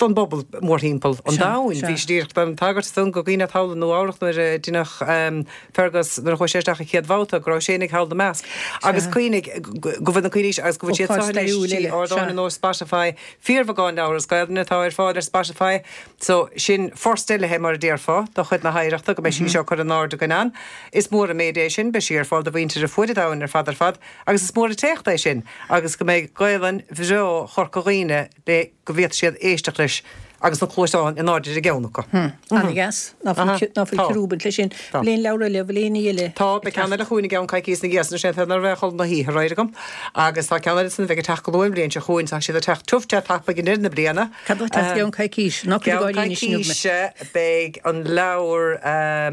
don bpobal mórthimpeall an Sea, domhain. sea. Bhí sé díreach don tagairt san go dhaoine thall i Nua Eabhrac nuair a deineadh Fergus nuair a chuaigh sé isteach an chéad bhabhta go raibh sé ag thall ina measc. Agus Sea. cuimhnigh go bhfuil na cuimhní agus go bhfuil siad Ócáid seo anois stairiúil trí eile, ardáin sea. ar nós Spotify, fíorbheagán leabhar as Gaelainn atá ar fáil ar Spotify. So sin first eile é mar a déarfá de chuid na hoidhreachta go mbeidh sí seo curtha in airde againn ann. Is mór an méid é sin, beidh sí ar fáil do mhuintir ar fuaid an domhain ar fad ar fad, agus is mór an t-éacht é sin, agus go mbeidh Gaelainn bhreá Chorca Dhuibhne le go bhféadfaidh siad éisteacht leis agus na cluaisteáin in airde ar an gceann acu. Ana-dheas. Ná fuil ná fuil ciorrú ag baint leis sin. Bhfuil aon leabhar eile, bhfuil aon ní eile? Tá, beidh ceann eile chugainn i gceann coicíos ina dhiaidh sin, sé an bheith chun na hoíche réidh agam. Agus tá ceann eile san a bheidh ag teacht go luath an bhliain seo chugainn, tá siad ag teacht tiubh te tapaidh i ndeireadh na bliana. Cad atá ag teacht i gceann coicíse? Ná cuir Ceann gáirí anois inniu mé. coicíse beidh an leabhar ar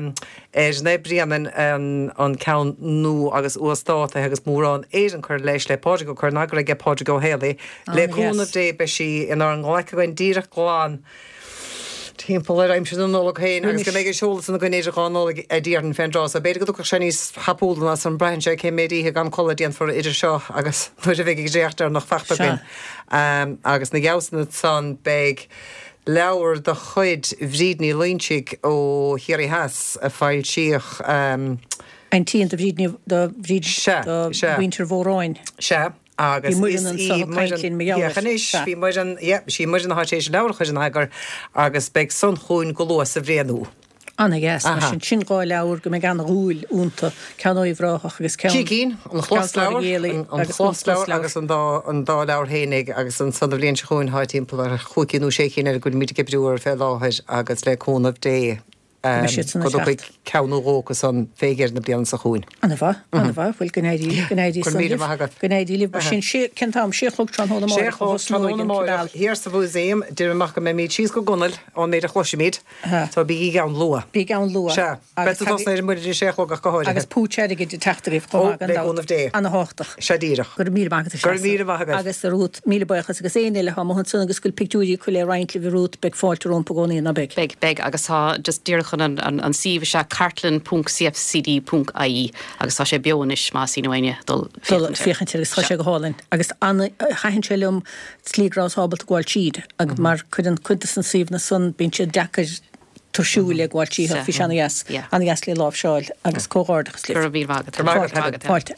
Naomh Bréanainn an ceann nua agus uasdátaithe agus mórán Éireann curtha leis le Pádraig Ó curtha in eagar aige Pádraig Ó Héalaí. Le cúnamh Ana-dheas. Dé beidh sí inár nglac againn díreach glan timpeall ar aimsir na Nollag féin agus go Roimis. mbeidh an seoladh san againn idir dhá Nollaig a déarfainn fén dtráth so. B'fhéidir go dtiocfadh sé níos tapúla ná san braitheann sé cén méid oíche gan codladh a déanfar idir seo agus nuair a bheidh an dréacht deireanach fachta Sea. againn. Um, agus na gheabhsanna san beidh leabhar de chuid Bhríd Ní Loingsigh ó Chiarraí Theas a foilsíodh um, Aintín do Bhríd Ní- do Bhríd Sea, do sea. mhuintir Mhóráin. Sea, agus Bhí Muireann is anso í ag caint linn mar gheall Féach air. anois, Sea. bhí Muireann, yeah, sí Muireann atá tar éis an leabhar a chur in eagar agus beidh san chugainn go luath sa bhliain úr. Ana-dheas, mar Aha. sin sin dhá leabhar go mbeidh ana-dhúil iontu, ceann ó Uíbh Ráthach agus ceann Trí cinn, an chlosleabhar, Ghaelaí an an agus an chlosleabhar closleabhar. agus an dá an dá leabhar fhéinig agus an san bhliain seo chugainn tá timpeall ar chúig cinn nó sé cinn eile go bhfuilimid ag oibriú orthu fé láthair agus le cúnamh Dé mbeidh siad san go ag dtiocfaidh teacht. ceann nó dhó acu san fé dheireadh na bliana seo chugainn. Ana-mhaith, ana-mhaith, bhuel go n-éirí go n-éirí Go raibh san míle libh. maith agat. Go n-éirí libh. Mar sin sé cén t-am sé a chlog tráthnóna Sé amárach a chlog thosnóidh tráthnóna an amárach cibéal. thiar sa mhúsaem, deirim amach go mbeimid síos go gunail ón méid a chloisimid, Aha. so bígí ann luath. Bígí ann luath. Sea, Agus beidh tú tosnaithe ar an muirir sé a chlog ach go háirithe. Agus púits airgid ag teacht agaibh chomh Ó, maith gan le dabht. cúnamh Dé. Ana-thábhachtach. Sea díreach. Go raibh míle maith agat a Go raibh Seasa. míle maith agat. Agus a Ruth, míle buíochas agus éinne eile atá amuigh ansan agus go bhfuil pictiúirí acu le roinnt libh a Ruth, beidh fáilte rompu i gcónaí ná beidh. Beidh, beidh agus tá just díreach chun an, an, an suíomh is ea cartlann ponc cfcd ponc ie agus tá sé beo anois más ionann éinne dul Dul féachaint air. féachaint air agus tá sé go hálainn. Agus ana thaitin sé liom slí go rabhas ábalta gabháil tríd agus mar cuireann cuid de na suíomhanna san bíonn siad deacair tuirsiúil le gabháil tríd Sea. bhí sé ana-dheas Yeah. ana-dheas le láimhseáil agus comhghairdeachas libh. Go raibh míle maith agat. Go raibh maith agat, Fáilte. Fáilte.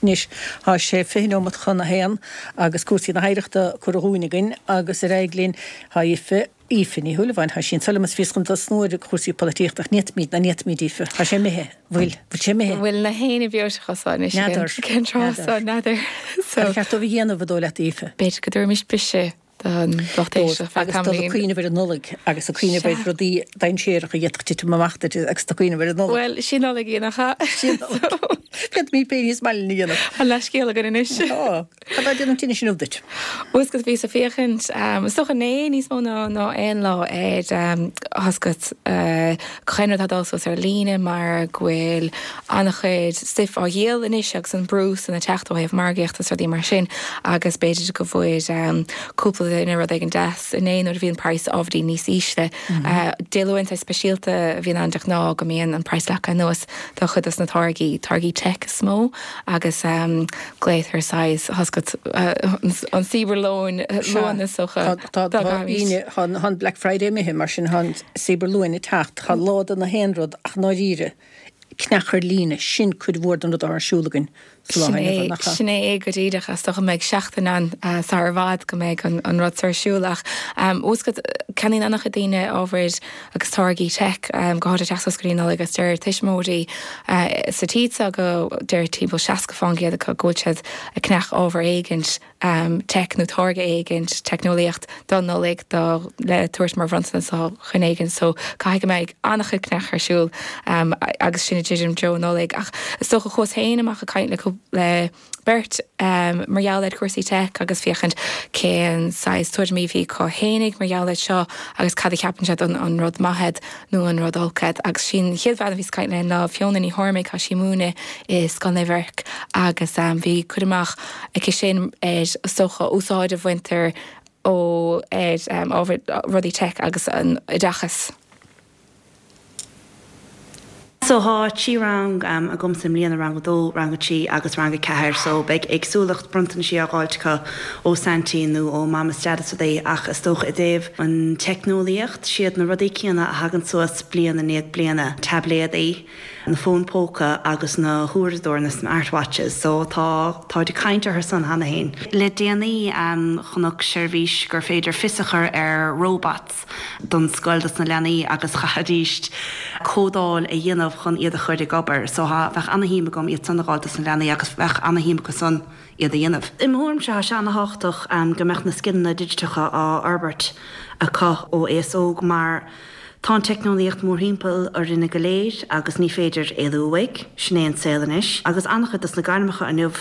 Anois tá sé fiche nóiméad chun a haon agus cúrsaí na hoidhreachta curtha dhúinn againn agus ar aghaidh linn tá Aoife Aoife Ní Shúilleabháin tá sí anseo liom is bhíos chun tosnú ar chúrsaí polaitíochta ach ní fhéadfaimid ná ní fhéadfaimid Aoife. Tá sé imithe. Bhfuil bhfuil sé imithe. Bhfuil na héine beotecha anois N'fheadar. cén tráth N'fheadar. n'fheadar. Ar cheart dóibh a dhéanamh a dó leat Aoife. B'fhéidir go dtabharfaimis briseadh don lucht éisteachta Agus dul ag cuimhneamh ar an Nollaig agus ag cuimhneamh ar Sea. rudaí dainséaracha a d'fhéadfadh titim amach duit agus ag cuimhneamh ar an Nollaig. Well sin Nollaig í nach ea? Féadfaimid pé níos maille a dhéanamh. An leithscéal againn anois. Tá, Cad é déanamh tinnis inniu duit? Bhuel bhíos ag féachaint is dócha né níos mó ná ná aon lá ar thoscat chuin tá dul suas ar líne mar go bhfuil an-chuid stuif á dhíol anois agus an brú san ag teacht ó thaobh margaíochta is rudaí mar sin agus b'fhéidir go bhfuil cúpla duine rud éigin deas inné nuair a bhíonn praghas ábhairín níos ísle. Dé Luain speisialta a bhíonn ann de ghnáth go mbíonn an praghas leagtha anuas do chuid des na táirgí táirgí tech is mó agus um, glaotar saghas thoscat uh, an Cibear-Luan Luan is dócha Tá dá gcaithfimid. an Black Friday imithe mar sin tá Cibear-Luan ag teacht tá lá de na haon rud ach ndáiríre ceannach ar líne sin cuid mhór den rud ar siúl againn sa lá Sin inniu, é nach ea? sin é go díreach is dócha go mbeidh seachtain ann sar i bhfad go mbeidh an, an rud ar siúl ach um, úscad ceannaíonn an-chuid daoine ábhair agus táirgí tech um, go háirithe teacht go dtí agus deir tuismitheoirí uh, sa tísa go deir timpeall seasca faoin gcéad acu go bhfuil siad ag ceannach ábhar éigint um, tech nó táirge éigint teicneolaíocht don Nollaig do le tabhairt mar bhronntanas do dhuine éigin so caithfidh go mbeidh an-chuid ceannach ar siúl um, agus sin ag dul Nollaig ach is dócha chuas féin amach ag caint le le beirt um, mar gheall ar cúrsaí tech agus féachaint cén saghas tuairimí bhí acu fhéinig mar gheall air seo agus cad a cheapann siad an, an rud maith nó an rud olc agus sin chéad bhean a bhí caint le ná Fiona Ní Chormaic tá sí ag múineadh i Scoil Naomh Eirc agus um, bhí cur amach aici sin ar is dócha úsáid a bhaintear ó ar um, ábhar rudaí tech agus an oideachas. So tá trí rang um, agam i mbliana rang a dó rang a trí agus rang a ceathair, so beidh éagsúlacht bronntanais á fháilt acu ó Santaí nó ó Mam is Dad é ach is dócha i dtaobh an teicneolaíocht siad na rudaí céanna a thagann suas bliain i ndiaidh bliana tabléadaí. na fóin póca agus na huaireadóir na smartwatches, so tá tá ag caint orthu san cheana féin. Le déanaí um, chonac seirbhís gur féidir fios a chur ar robots don scoil dos na leanaí agus chaithfidís códáil a dhéanamh chun iad a chur ag obair, so bheadh an-shuim agam iad san a fháil dos na leanaí agus bheadh an-shuim acu san iad a dhéanamh. I mo thuairimse tá sé an-tábhachtach um, go mbeadh na scileanna digiteacha á fhorbairt acu ó aos óg mar Tá an teicneolaíocht mórthimpeall orainne go léir agus ní féidir éalú uaidh, sin é an saol anois, agus an-chuid dos na gairmeacha inniu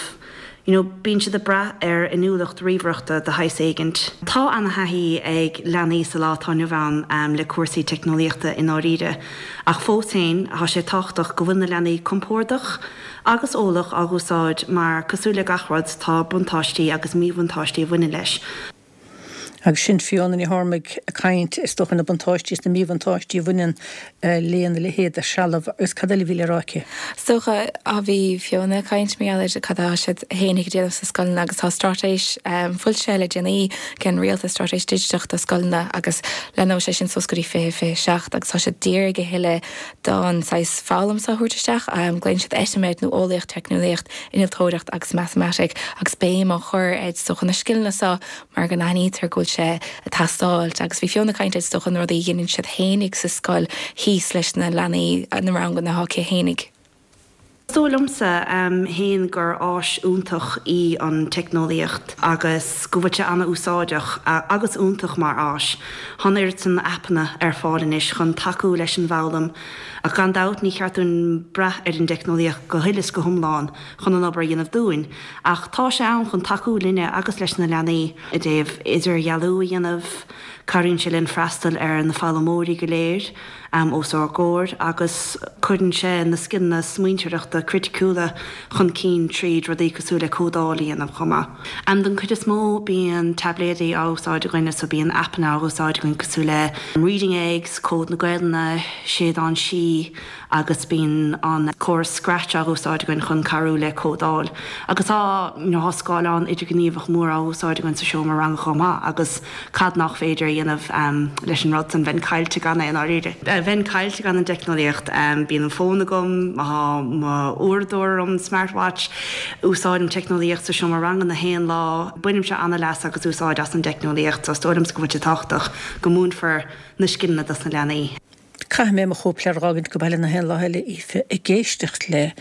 you know, bíonn siad ag brath ar inniúlacht ríomhaireachta de shaghas éigint. Tá an-thaithí ag leanaí sa lá atá inniu ann um, le cúrsaí teicneolaíochta i ndáiríre, ach fós féin tá sé tábhachtach go bhfuil na leanaí compordach agus eolach á úsáid mar cosúil le gach rud tá buntáistí agus míbhuntáistí a bhaineann leis. Agus sin Fiona Ní Chormaic ag caint is dócha na buntáistí is na míbhuntáistí a bhaineann lena leithéid de threalamh agus cad eile a bhí le rá aici. Is dócha a bhí Fiona ag caint mar gheall ar cad atá siad féin ag déanamh sa scoileanna agus tá straitéis um, foilsithe le déanaí ag an rialtas straitéis digiteach do scoileanna agus leanfaidh sé sin suas go dtí fiche fiche seacht agus tá sé dírithe a thuilleadh don saghas foghlaim seo a thabhairt isteach um, glaonn siad ETIMED nó eolaíocht, teicneolaíocht, innealtóireacht agus matamaitic agus béim á chur ar is dócha na scileanna seo mar go n-aithnítear go bhfuil sé ag teastáil agus bhí Fiona ag caint is dócha na rudaí a dhéanann siad féinig sa scoil thíos leis na leanaí na ranganna atá acu féinig. Is dóigh liomsa um, féin gur áis iontach í an teicneolaíocht agus go bhfuil sé an-úsáideach agus iontach mar áis. Tá an oiread san aipeanna ar fáil anois chun tacú leis an bhfoghlaim ach gan dabht ní cheart dúinn brath ar an dteicneolaíocht go huile is go hiomlán chun an obair a dhéanamh dúinn, ach tá sé ann chun tacú linne agus leis na leanaí i dtaobh idirdhealú a dhéanamh, cabhraíonn sé linn freastal ar na foghlaimeoirí go léir um, os ár gcomhair agus cuireann sé na scileanna smaointeoireachta criticiúla chun cinn tríd rudaí cosúil le códáil a dhéanamh chomh maith. An den chuid is mó bíonn taibléidí á úsáid againne so bíonn aipeanna á úsáid againn cosúil le Reading Eggs, Cód na Gaelainne, Séideán Sí agus bíonn an córas Scratch á úsáid againn chun cabhrú le códáil. Agus tá nó scáileán idirghníomhach mór á úsáid againn sa seomra ranga chomh maith agus cad nach féidir a dhéanamh um, leis an rud san bheinn caillte gan é an-áirithe. Bheinn caillte gan an teicneolaíocht um, bíonn an fón agam mo uaireadóir an smartwatch, úsáidim teicneolaíocht sa seomra ranga na haon lá, bainimse an-leas agus úsáid as an teicneolaíocht, so is dóigh liomsa go bhfuil sé tábhachtach go múinfear na scileanna dos na leanaí. Caithfidh mé mo chóipleabhar a fhágaint go baile na haon lá eile Aoife ag éisteacht le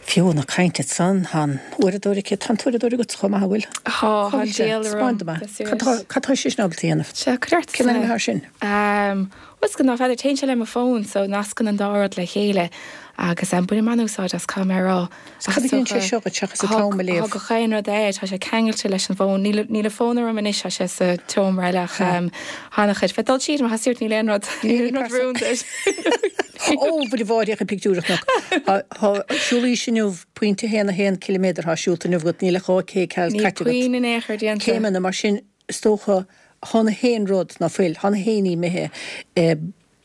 Fiona ag caint ansan tá an uaireadóir aici tá an t-uaireadóir agat chomh maith bhfuil? Tá tá díol orm. Cad tá sé sin ábalta a dhéanamh? Sea, cuir Cén ainm atá sin? Um, Bhuel go ná feadar téann sé le mo fón so nascann an dá rud le chéile agus um, bainim an-úsáid as caithfidh mé a rá. Cad a dhéanann sé seo seachas an t-am a léamh? Tá gach aon rud é tá sé ceangailte leis an bhfón níl níl a fón orm anois tá sé sa tseomra eile ach um, thána chuid fe dul siad mar hasúirt níl aon rud níl aon rud rúnda. Ó bhí bháideach a pictiúrach nach siúlaí sinniu pointe haon a haon kilometer thá siúlta inniu agat níl a dhá cé ceal Níl puinn in aon chor déanta. Céimeanna mar sin is dócha tá na haon rud ná fuil tá na haon ní imithe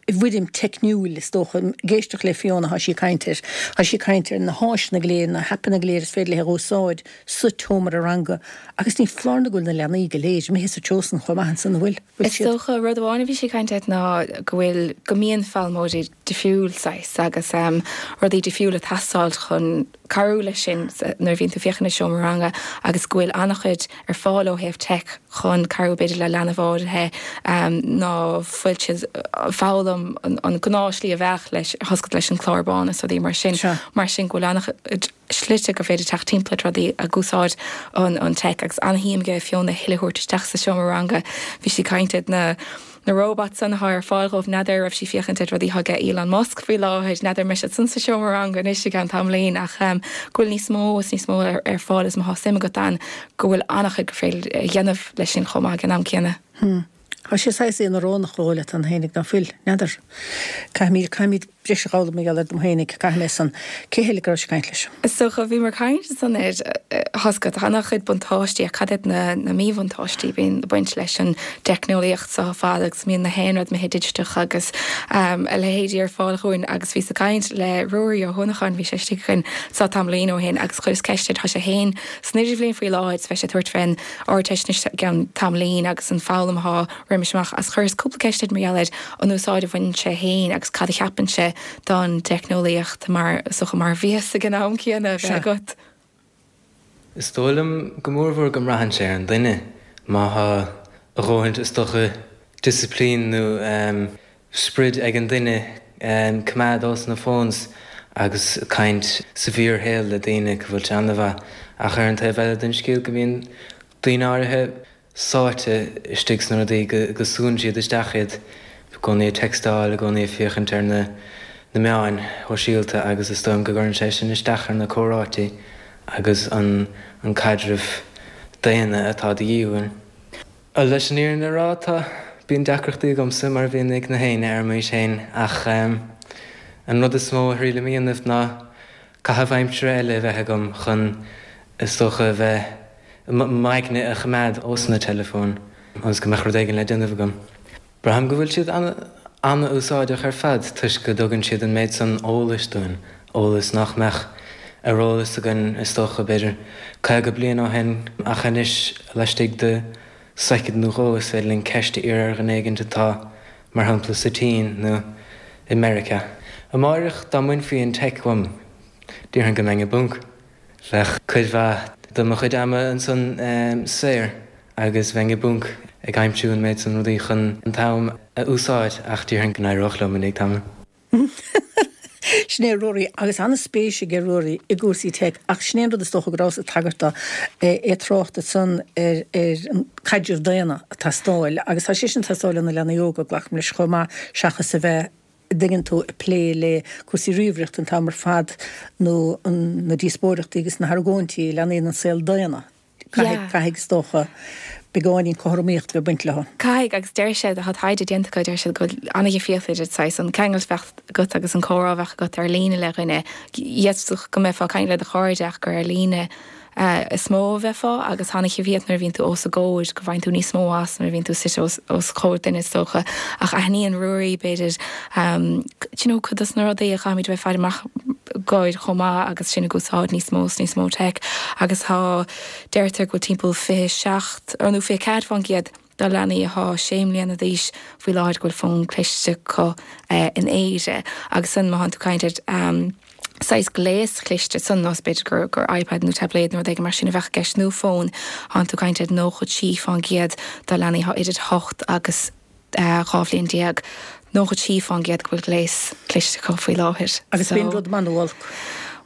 i bhfoirm teicniúil is dócha ag éisteacht le Fiona thá sí ag caint air thá sí ag caint ar na háiseanna go léir na haipeanna go léir is féidir léi a úsáid sa tseomra ranga agus ní foláir nó go bhfuil na leanaí go léir imithe sa treo san chomh maith ansan an bhfuil bhfuil Is siad. dócha rud amháin a bhí sí ag caint air ná go bhfuil go mbíonn foghlaimeoirí difriúil saghas agus um, rudaí difriúla ag teastáil chun cabhrú leis sin nuair a bhíonn tú féachaint i seomra ranga agus go bhfuil an-chuid ar fáil ó thaobh tech chun cabhrú b'fhéidir le leanbh áirithe um, ná fuil siad foghlaim an, an gnáthshlí a bheadh leis thoscaid leis an clár bán is rudaí mar sin Sure. mar sin go bhfuil an-chuid slite go féidir teacht timpeall rudaí ag úsáid an, an tech agus an-shuim ag Fiona a thuilleadh a thabhairt isteach sa seomra ranga bhí sí ag caint ar na na robots san atá ar fáil dhóibh n'fheadar raibh sí féachaint ar rudaí ag Elon Musk faoi láthair n'fheadar an mbeidh siad san sa seomra ranga anois i gceann tamaillín ach um, go bhfuil níos mó is níos mó ar, ar fáil is má tá suim agat ann go bhfuil an-chuid go féidir a dhéanamh leis sin chomh maith ag an am céanna. Hmm. Tá sé saghas íorónach go leat an fhéinig ná fuil n'fheadar. Caithfimid caithfimid breis a fhoghlaim mar gheall air dom fhéinig caithfidh mé san cé heile go raibh sé ag caint leis. So cho bhí mar caint san ar thosca an-chuid buntáistí a cad iad na, na míbhuntáistí bíonn baint leis an teicneolaíocht seo fad agus mbíonn na haon rud imithe digiteach agus um, a leithéidí ar fáil chugainn agus bhí sa caint le Ruairí Ó hUanacháin bhí sé istigh againn sa tamaillín ó shin agus chuireas ceist air tá sé féin san idirbhliain faoi láthair bheidh sé ag tabhairt fén Ardteist i gceann tamaillín agus an foghlaim atá roimis amach as chuireas cúpla ceist air mar gheall ar an úsáid a bhaineann sé féin agus cad a cheapann sé líne don teicneolaíocht mar is dócha mar bhias ag an am céanna a bheith agat. Is dóigh liom go mórmhór go mbraitheann sé ar an duine. Má thá a dhóthaint is dócha disciplín nó sprid ag an duine coimeád ós na phones agus caint sa bhfíorshaol le daoine go bhfuil sé an-mhaith. Ach ar an taobh eile den scéal go mbíonn daoine áirithe sáite istigh sna rudaí go go súnn siad isteach iad, i gcónaí ag textáil, i gcónaí ag féachaint ar na na meáin shóisialta agus is dóigh liom go gcuireann sé sin isteach ar na comhráití agus an an caidreamh daonna atá de dhíth uainn. Leis an fhírinne a rá tá, bíonn deacrachtaí agamsa mar a bhíonn ag na héinne ar m'aois féin ach an rud is mó a thriailim a dhéanamh ná caitheamh aimsire eile a bheith agam chun is dócha a bheith, m'aigne a choimeád ós na teileafóin ionas go mbeadh rud éigin le déanamh agam. Braithim go bhfuil siad an-úsáideach ar fad toisc go dtugann siad an méid san eolais dúinn, eolas nach mbeadh ar eolas againn is dócha b'fhéidir caoga bliain ó shin ach anois laistigh de soicind nó dhó is féidir linn ceist a iarraidh ar dhuine éigin atá, mar shampla, sa tSín nó i Meiriceá. Amáireach dá mbainfí an teic uaim, déarfainn go mbeinn i bponc. Bheadh cuid mhaith de mo chuid ama ansan saor agus bheinn i bponc ag aimsiú an méid san rudaí chun an t-am a úsáid ach déarfainn go n-éireodh liom i ndiaidh tamaill. Sin é Ruairí, agus an-spéis aige Ruairí i gcúrsaí teic, ach sin é an rud is dócha go rabhas ag tagairt dó, é ag trácht ansan ar an caidreamh daonna ag teastáil, agus tá sé sin ag teastáil ó na leanaí óga, glacaim leis chomh maith, seachas a bheith, a dtuigeann tú, ag plé le cúrsaí ríomhaireachta an t-am ar fad, nó na díospóireachtaí agus na hargóintí a leanaíonn an saol daonna. Caithfidh, caithfidh, is dócha, beagáinín cothromaíocht a bheith ag baint leo. Caithfidh, agus deir siad, tá taighde déanta acu, deir siad go bhfuil an-dhifríocht idir saghas an ceangal a bheadh agat agus an comhrá a bheadh agat ar líne le dhuine. D'fhéadfadh go mbeifeá ag caint le do chairde ach gur ar líne is mó a bheifeá agus tá an-dhifríocht nuair a bhíonn tú os a gcomhair, go bhfaigheann tú níos mó as nuair a bhíonn tú suite os os comhair duine is dócha. Ach aithníonn Ruairí, b'fhéidir, do you know, cuid dos na rudaí a chaithfimid a bheith faire amach dóibh chomh maith agus sinn ag úsáid níos mó is níos mó teic agus tá, deirtear go bhfuil timpeall fiche seacht, nó fiche ceathair fán gcéad de leanaí atá sé mbliana d'aois faoi láthair go bhfuil fón cliste acu in Éire agus san má thánn tú ag caint ar saghas gléas cliste san nós b'fhéidir gur gur iPad nó tabléad nó rud éigin mar sin a bheadh i gceist nó fón, thánn tú ag caint ar nócha trí fán gcéad de leanaí atá idir hocht agus dhá bhliain déag, nócha trí fán gcéad go bhfuil gléas cliste acu faoi láthair. Agus bíonn rud maith nó olc.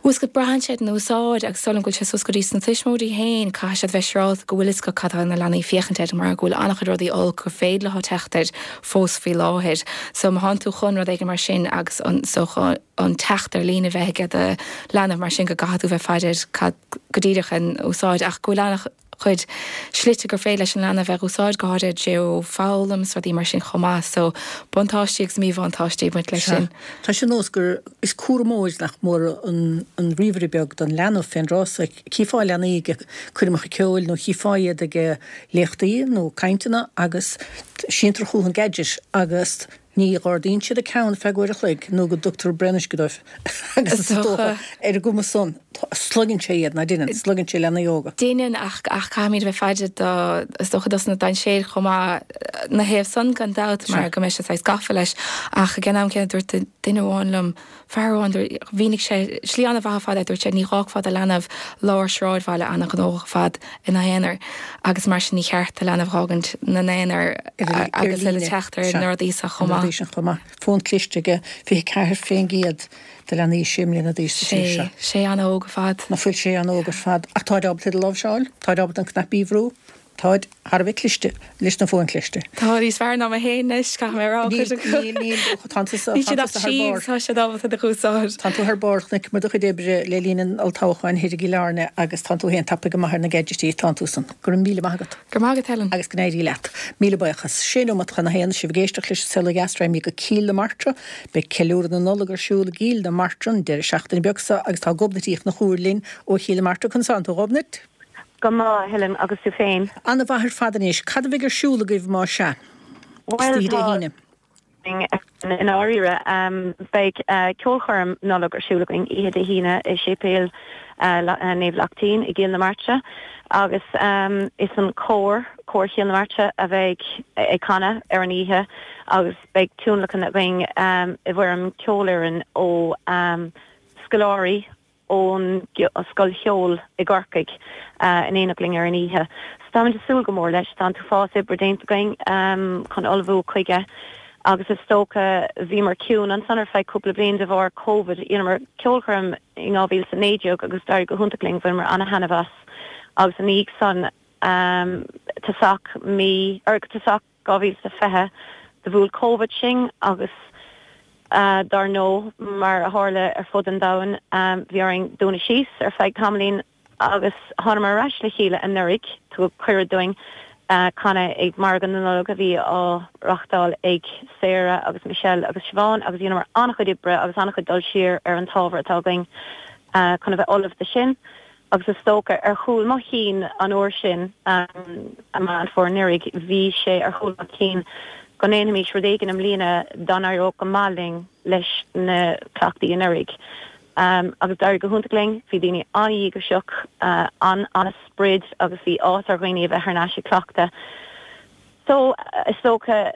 Bhuel go braitheann sé ar an úsáid agus is dóigh liom go bhfuil sé suas go dtí sna tuismitheoirí féin, caithfidh siad bheith siúráilte go bhfuil fhios acu cad tá na leanaí ag féachaint air mar go bhfuil an-chuid rudaí olc gur féidir leo teacht air fós faoi láthair. So má thánn tú chun rud éigin mar sin agus an so an teacht ar líne bheith ag do leanbh mar sin go gcaithfidh tú bheith faire ar cad go díreach an úsáid ach go bhfuil an-chuid slite gur féidir leis an leanbh bheith úsáid go háirid geo-fhoghlaim is rudaí mar sin chomh maith so buntáistí agus míbhuntáistí ag baint leis sin. Tá sé nós gur is cúramóir nach mór an an ríomhaire beag don leanbh fén dtráth so. Chífeá leanaí ag coirmeacha ceoil nó chífeá iad ag léachtaí nó cainteanna agus síntear chucu an gadget agus Ní dh'ardaíonn siad a ceann feadh uair a chloig nó go dtugtar braon uisce dóibh agus is dócha ar an gcuma san sloigeann sé iad, ná deineann, sloigeann sé leanaí óga. Deineann ach ach caithfimid a bheith faire do, is dócha dos na dainséir chomh maith na thaobh san gan dabht mar go mbeidh sé saghas gafa leis ach ag an am céanna dúirt duine amháin liom, Fear amháin, mhínigh sé slí an-mhaith ar fad é, dúirt sé, ní dh'fhágfá do leanbh lár sráidbhaile an-ghnóthach ar fad ina aonar agus mar sin ní cheart do leanbh dh'fhágaint 'na n-aonar agus le teacht ar na rudaí seo chomh maith. Chomh maith. Fón cliste ag fiche ceathair fén gcéad de leanaí sé mbliana d'aois sa tír seo. Sé, sé an-óg ar fad. Ná fuil sé an-óg ar fad. Ach táid ábalta iad a láimhseáil, táid ábalta an cnaipí a bhrú. Táid thar a bheith cliste leis na fóin chliste. Tá níos fearr ná mé féin anois, caithfidh mé a rá, cuid acu. Níl, níl, tánn tusa, Níl siad ach thar barr. Tá siad ábalta iad a úsáid. Tánn tú thar barr, chonaiceamar do chuid oibre le linn an olltoghcháin thoir i gCill Airne agus tánn tú féin tapaidh go maith ar na gadgetí, tánn tú san. Go raibh míle maith agat. Go raibh maith agat, Helen. Agus go n-éirí leat. Míle buíochas. Sé nóiméad chun a haon, sibh ag éisteacht leis an Saol Ó Dheas, raghaimid go Cill na Martra. Beidh ceiliúradh na Nollag ar siúl i gCill na Martra an deireadh seachtaine beag seo agus tá Gobnait Uí Chonchúir linn ó Chill na Martra. Conas tánn tú, a Ghobnait? Go maith, a Helen, agus tú féin? An-mhaith ar fad anois. Cad a bheidh ar siúl agaibh más ea? Bhuel, Istoíche Dé tá, hAoine. againn i ndáiríre. Beidh ceolchoirm Nollag ar siúl againn oíche Dé hAoine i Séipéal Naomh Lachtaín i gCill na Martra agus is an cór, Cór Chill na Martra, a bheidh ag canadh ar an oíche agus beidh tionlacan againn i bhfoirm ceolfhoireann ó scoláirí ón Scoil Cheoil i gCorcaigh in éineacht linn ar an oíche. So táimid ag súil go mór leis. Tá an t-uafás oibre déanta againn chun ullmhú chuige agus is dócha bhíomar ciúin ansan ar feadh cúpla bliain de bharr Covid. Dheineamar ceolchoirm in dhá mhíle is a naoi déag agus d'éirigh go hiontach linn, bhaineamar ana-thaitneamh as agus ina dhiaidh san tosach mí, or tosach dhá mhíle is a fiche do bhuail Covid sinn agus Dar ndóigh, mar a tharla ar fud an domhain, bhí orainn dúnadh síos ar feadh tamaillín agus thánamar ar ais le chéile anuraidh. Tugadh cuireadh dúinn canadh ag Margadh na Nollag a bhí á reáchtáil ag Sarah agus Michelle agus Siobhán agus dheineamar an-chuid oibre agus an-chuid dul siar ar an t-ábhar atá againn chun a bheith ullamh do sin. Agus is dócha, ar chúl mo chinn an uair sin, i Meán Fómhair anuraidh, bhí sé ar chúl mo chinn go ndéanfaimis rud éigin i mbliana dá n-éireodh go maith linn leis na cleachtaí anuraidh. Agus d'éirigh go hiontach linn, bhí daoine an-dhíograiseach, an-an-sprid agus bhí áthas ar dhaoine a bheith thar n-ais ag cleachtadh. So, is dócha,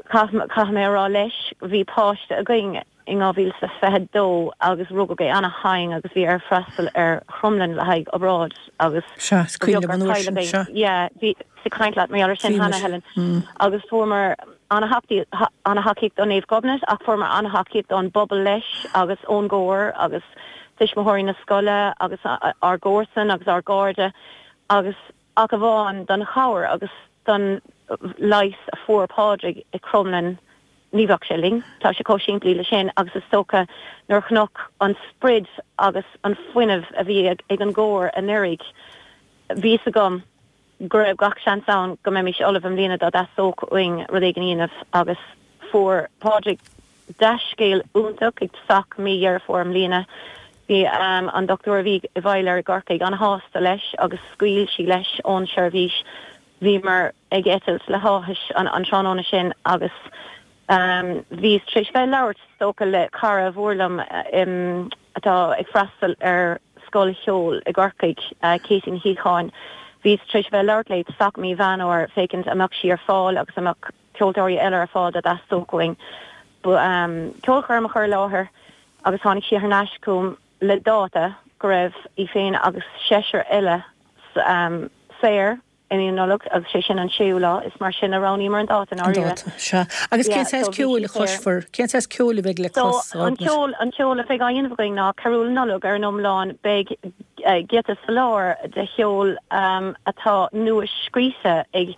Caithfidh mé a rá leis, bhí páiste againn in dhá mhíle is a fiche dó agus rugadh é ana-thinn agus bhí air freastal ar Chromghleann le haghaidh obráid agus Sea, is ba cuimhin bheag liom an gur uair sin, cailleadh é. sea. Yeah, bhíos ag caint leat mar gheall air sin Bhí cheana, muid. Helen. Mm. Agus fuaireamar ana-thacaíocht ó Naomh Gobnait ach fuaireamar ana-thacaíocht ón bpobal leis agus ón gcór agus tuismitheoirí na scoile agus ár gcomharsain agus ár gcairde agus ach amháin don chabhair agus don leigheas a fuair Pádraig i Cromghlinn ní bheadh sé linn. Tá sé chomh simplí le sin agus is dócha nuair a chonac an sprid agus an fuinneamh a bhí ag an gcór anuraidh bhí fhios agam go raibh gach seans ann go mbeimis ullamh i mbliana dá dteastódh uainn rud éigin a dhéanamh agus fuair Pádraig dea-scéal iontach ag tosach mí Dheireadh Fómhair i mbliana. Bhí an dochtúir a bhí i bhfeighil air i gCorcaigh an-shásta leis agus scaoil sí leis ón seirbhís. Bhíomar ag eitilt le háthas an tráthnóna sin agus bhíos tar éis bheith ag labhairt, is dócha, le cara mhór liom atá ag freastal ar scoil cheoil i gCorcaigh, Katie Ní Shíocháin. Bhíos tar éis bheith ag labhairt léi tosach mí Mheán Fhómhair féachaint an mbeadh sí ar fáil agus an mbeadh ceoltóirí eile ar fáil dá dteastódh uainn ceolchoirm a chur i láthair agus tháinig sí thar n-ais chugam le dáta go raibh í féin agus seisear eile saor i mí na Nollag agus sé sin an séú lá. Is mar sin a roghnaíomar an dáta i An ndáiríre. dáta, sea. Agus cén Yeah, saghas so bhí ceoil sí a saor. chloisfear? Cén saghas ceoil a bheidh le So clos, an Gobnait? ceol, an ceol a bheidh á dhéanamh againn ná carúil Nollag ar an iomlán. Beidh giota sa lár de cheol atá nua-scríofa ag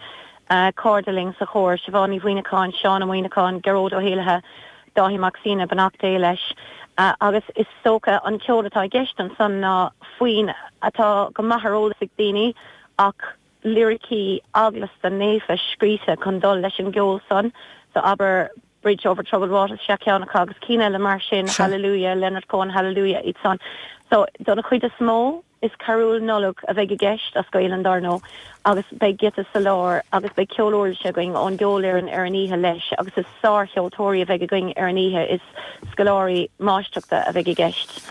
cairde linn sa chór, Siobhán Ní Mhuimhneacháin, Seán Ó Muimhneacháin, Gearóid Ó hÉallaithe, Dáithí Mac Suibhne, beannacht Dé leis. Agus is dócha an ceol atá i gceist ansan ná foinn atá go maith ar eolas ag daoine ach liricí eaglasta naofa scríte chun dul leis an gceol san. So abair Bridge Over Troubled Water, sea ceann acu agus cinn eile mar sin, Hallelujah, Leonard Cohen, Hallelujah, iad san. So don chuid is mó, Is carúil Nollag a bheidh i gceist, as Gaelainn dar ndóigh, agus beidh giota sa lár agus beidh ceol uirlise againn ón gceolfhoireann ar an oíche leis agus is sárcheoltóirí a bheidh againn ar an oíche, is scoláirí máistreachta a bheidh i gceist.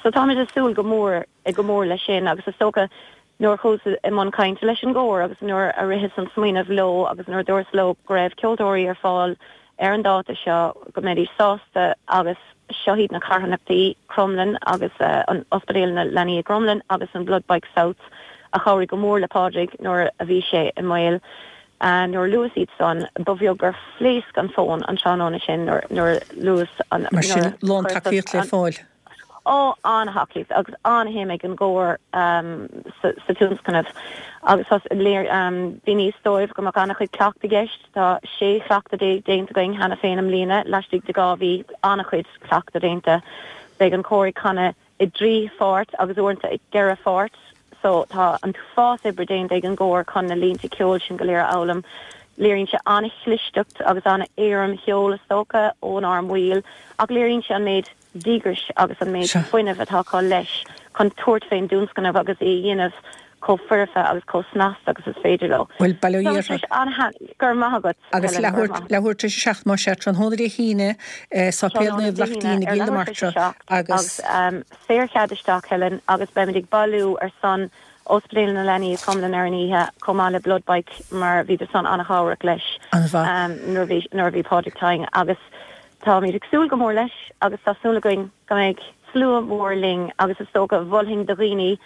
So táimid ag súil go mór, go mór leis sin agus is dócha nuair a chuas i mbun cainte leis an gcór agus nuair a ritheas an smaoineamh leo agus nuair a dúras leo go raibh ceoltóirí ar fáil ar an dáta seo go mbeidís sásta agus seo iad na carthanachtaí, Cromghlinn agus an Ospidéal na Leanaí i gCromghlinn agus an Blood Bike South a chabhraigh go mór le Pádraig nuair a bhí sé i mbaol. Nuair a luas iad san, ba bheag gur phléasc an fón an tráthnóna sin nuair a luas an, Mar sin, nuair a lán chuireas tacaíocht le an. fáil. Ó, an-thacaíocht agus an-shuim ag an gcór sa tionscnamh agus mhíníos dóibh go mbeadh an-chuid cleachtadh i gceist. Tá sé chleachtadh déag déanta againn cheana féin i mbliana, laistigh de dhá mhí, an-chuid cleachtadh déanta. Beidh an cór ag canadh i dtrí pháirt agus uaireanta i gceithre pháirt so tá an t-uafás oibre déanta ag an gcór chun na línte ceoil sin go léir a fhoghlaim. Léiríonn sé an-chlisteacht agus an-éirim cheoil is dócha ónár mbaill ach léiríonn sé an méid díograis agus an méid fuinnimh atá acu leis chun tabhairt fén dtionscnamh agus é a dhéanamh chomh foirfe agus chomh snasta agus is féidir leo. Bhuel, bail ó Tá Dhia sé ort. an-thaitneamhach. Go raibh maith agat, Agus Helen, go raibh leathuair maith. leathuair tar éis a seacht más ea, tráthnóna Dé hAoine, Sáipéal Tráthnóna Naomh Dé Lachtaín hAoine i ar gCill na leathuair tar éis a Martra seacht agus. agus um, saorchead isteach, Helen, agus beimid ag bailiú ar son Ospidéal na Leanaí i Cromghlinn ar an oíche chomh maith le Blood Bike mar bhíodar san an-chabhrach leis An-mhaith. um, nuair a bhí nuair a bhí Pádraig tinn agus táimid ag súil go mór leis agus tá súil againn go mbeidh slua mór linn agus is dócha mholfainn do dhaoine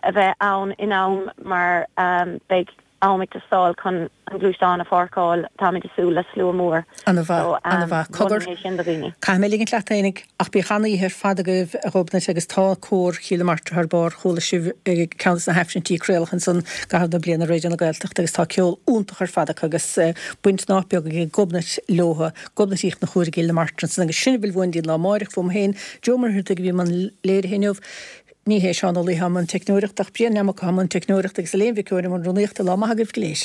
a bheith ann in am mar um, beidh am ag teastáil chun an gluaisteán a pháirceáil táimid ag súil le slua mór. An-mhaith, So, um, an-mhaith. Cogar. mholfainn é sin do dhaoine. Caithfidh mé ligint leat fhéinig ach bíodh an-oíche ar fad agaibh a Ghobnait agus tá cór Chill na Martra thar barr chuala sibh ag ceann de na haifrinntí a craoladh ansan i gcaitheamh na bliana Raidió na Gaeltachta agus tá ceol iontach ar fad acu agus eh, baint nach beag ag Gobnait leo, Gobnait Uí Chonchúir i gCill na Martra ansan agus sin a bhfuil uainn don lá amárach fúm féin Joe Muircheartaigh a bhí i mbun léirithe inniu. Ní hé Seán Ó Laoithe i mbun teicneoireachta ach Brian Neamacha i mbun teicneoireachta agus Elaine Mhic Eoin i mbun rúnaíochta lá maith agaibh go léir.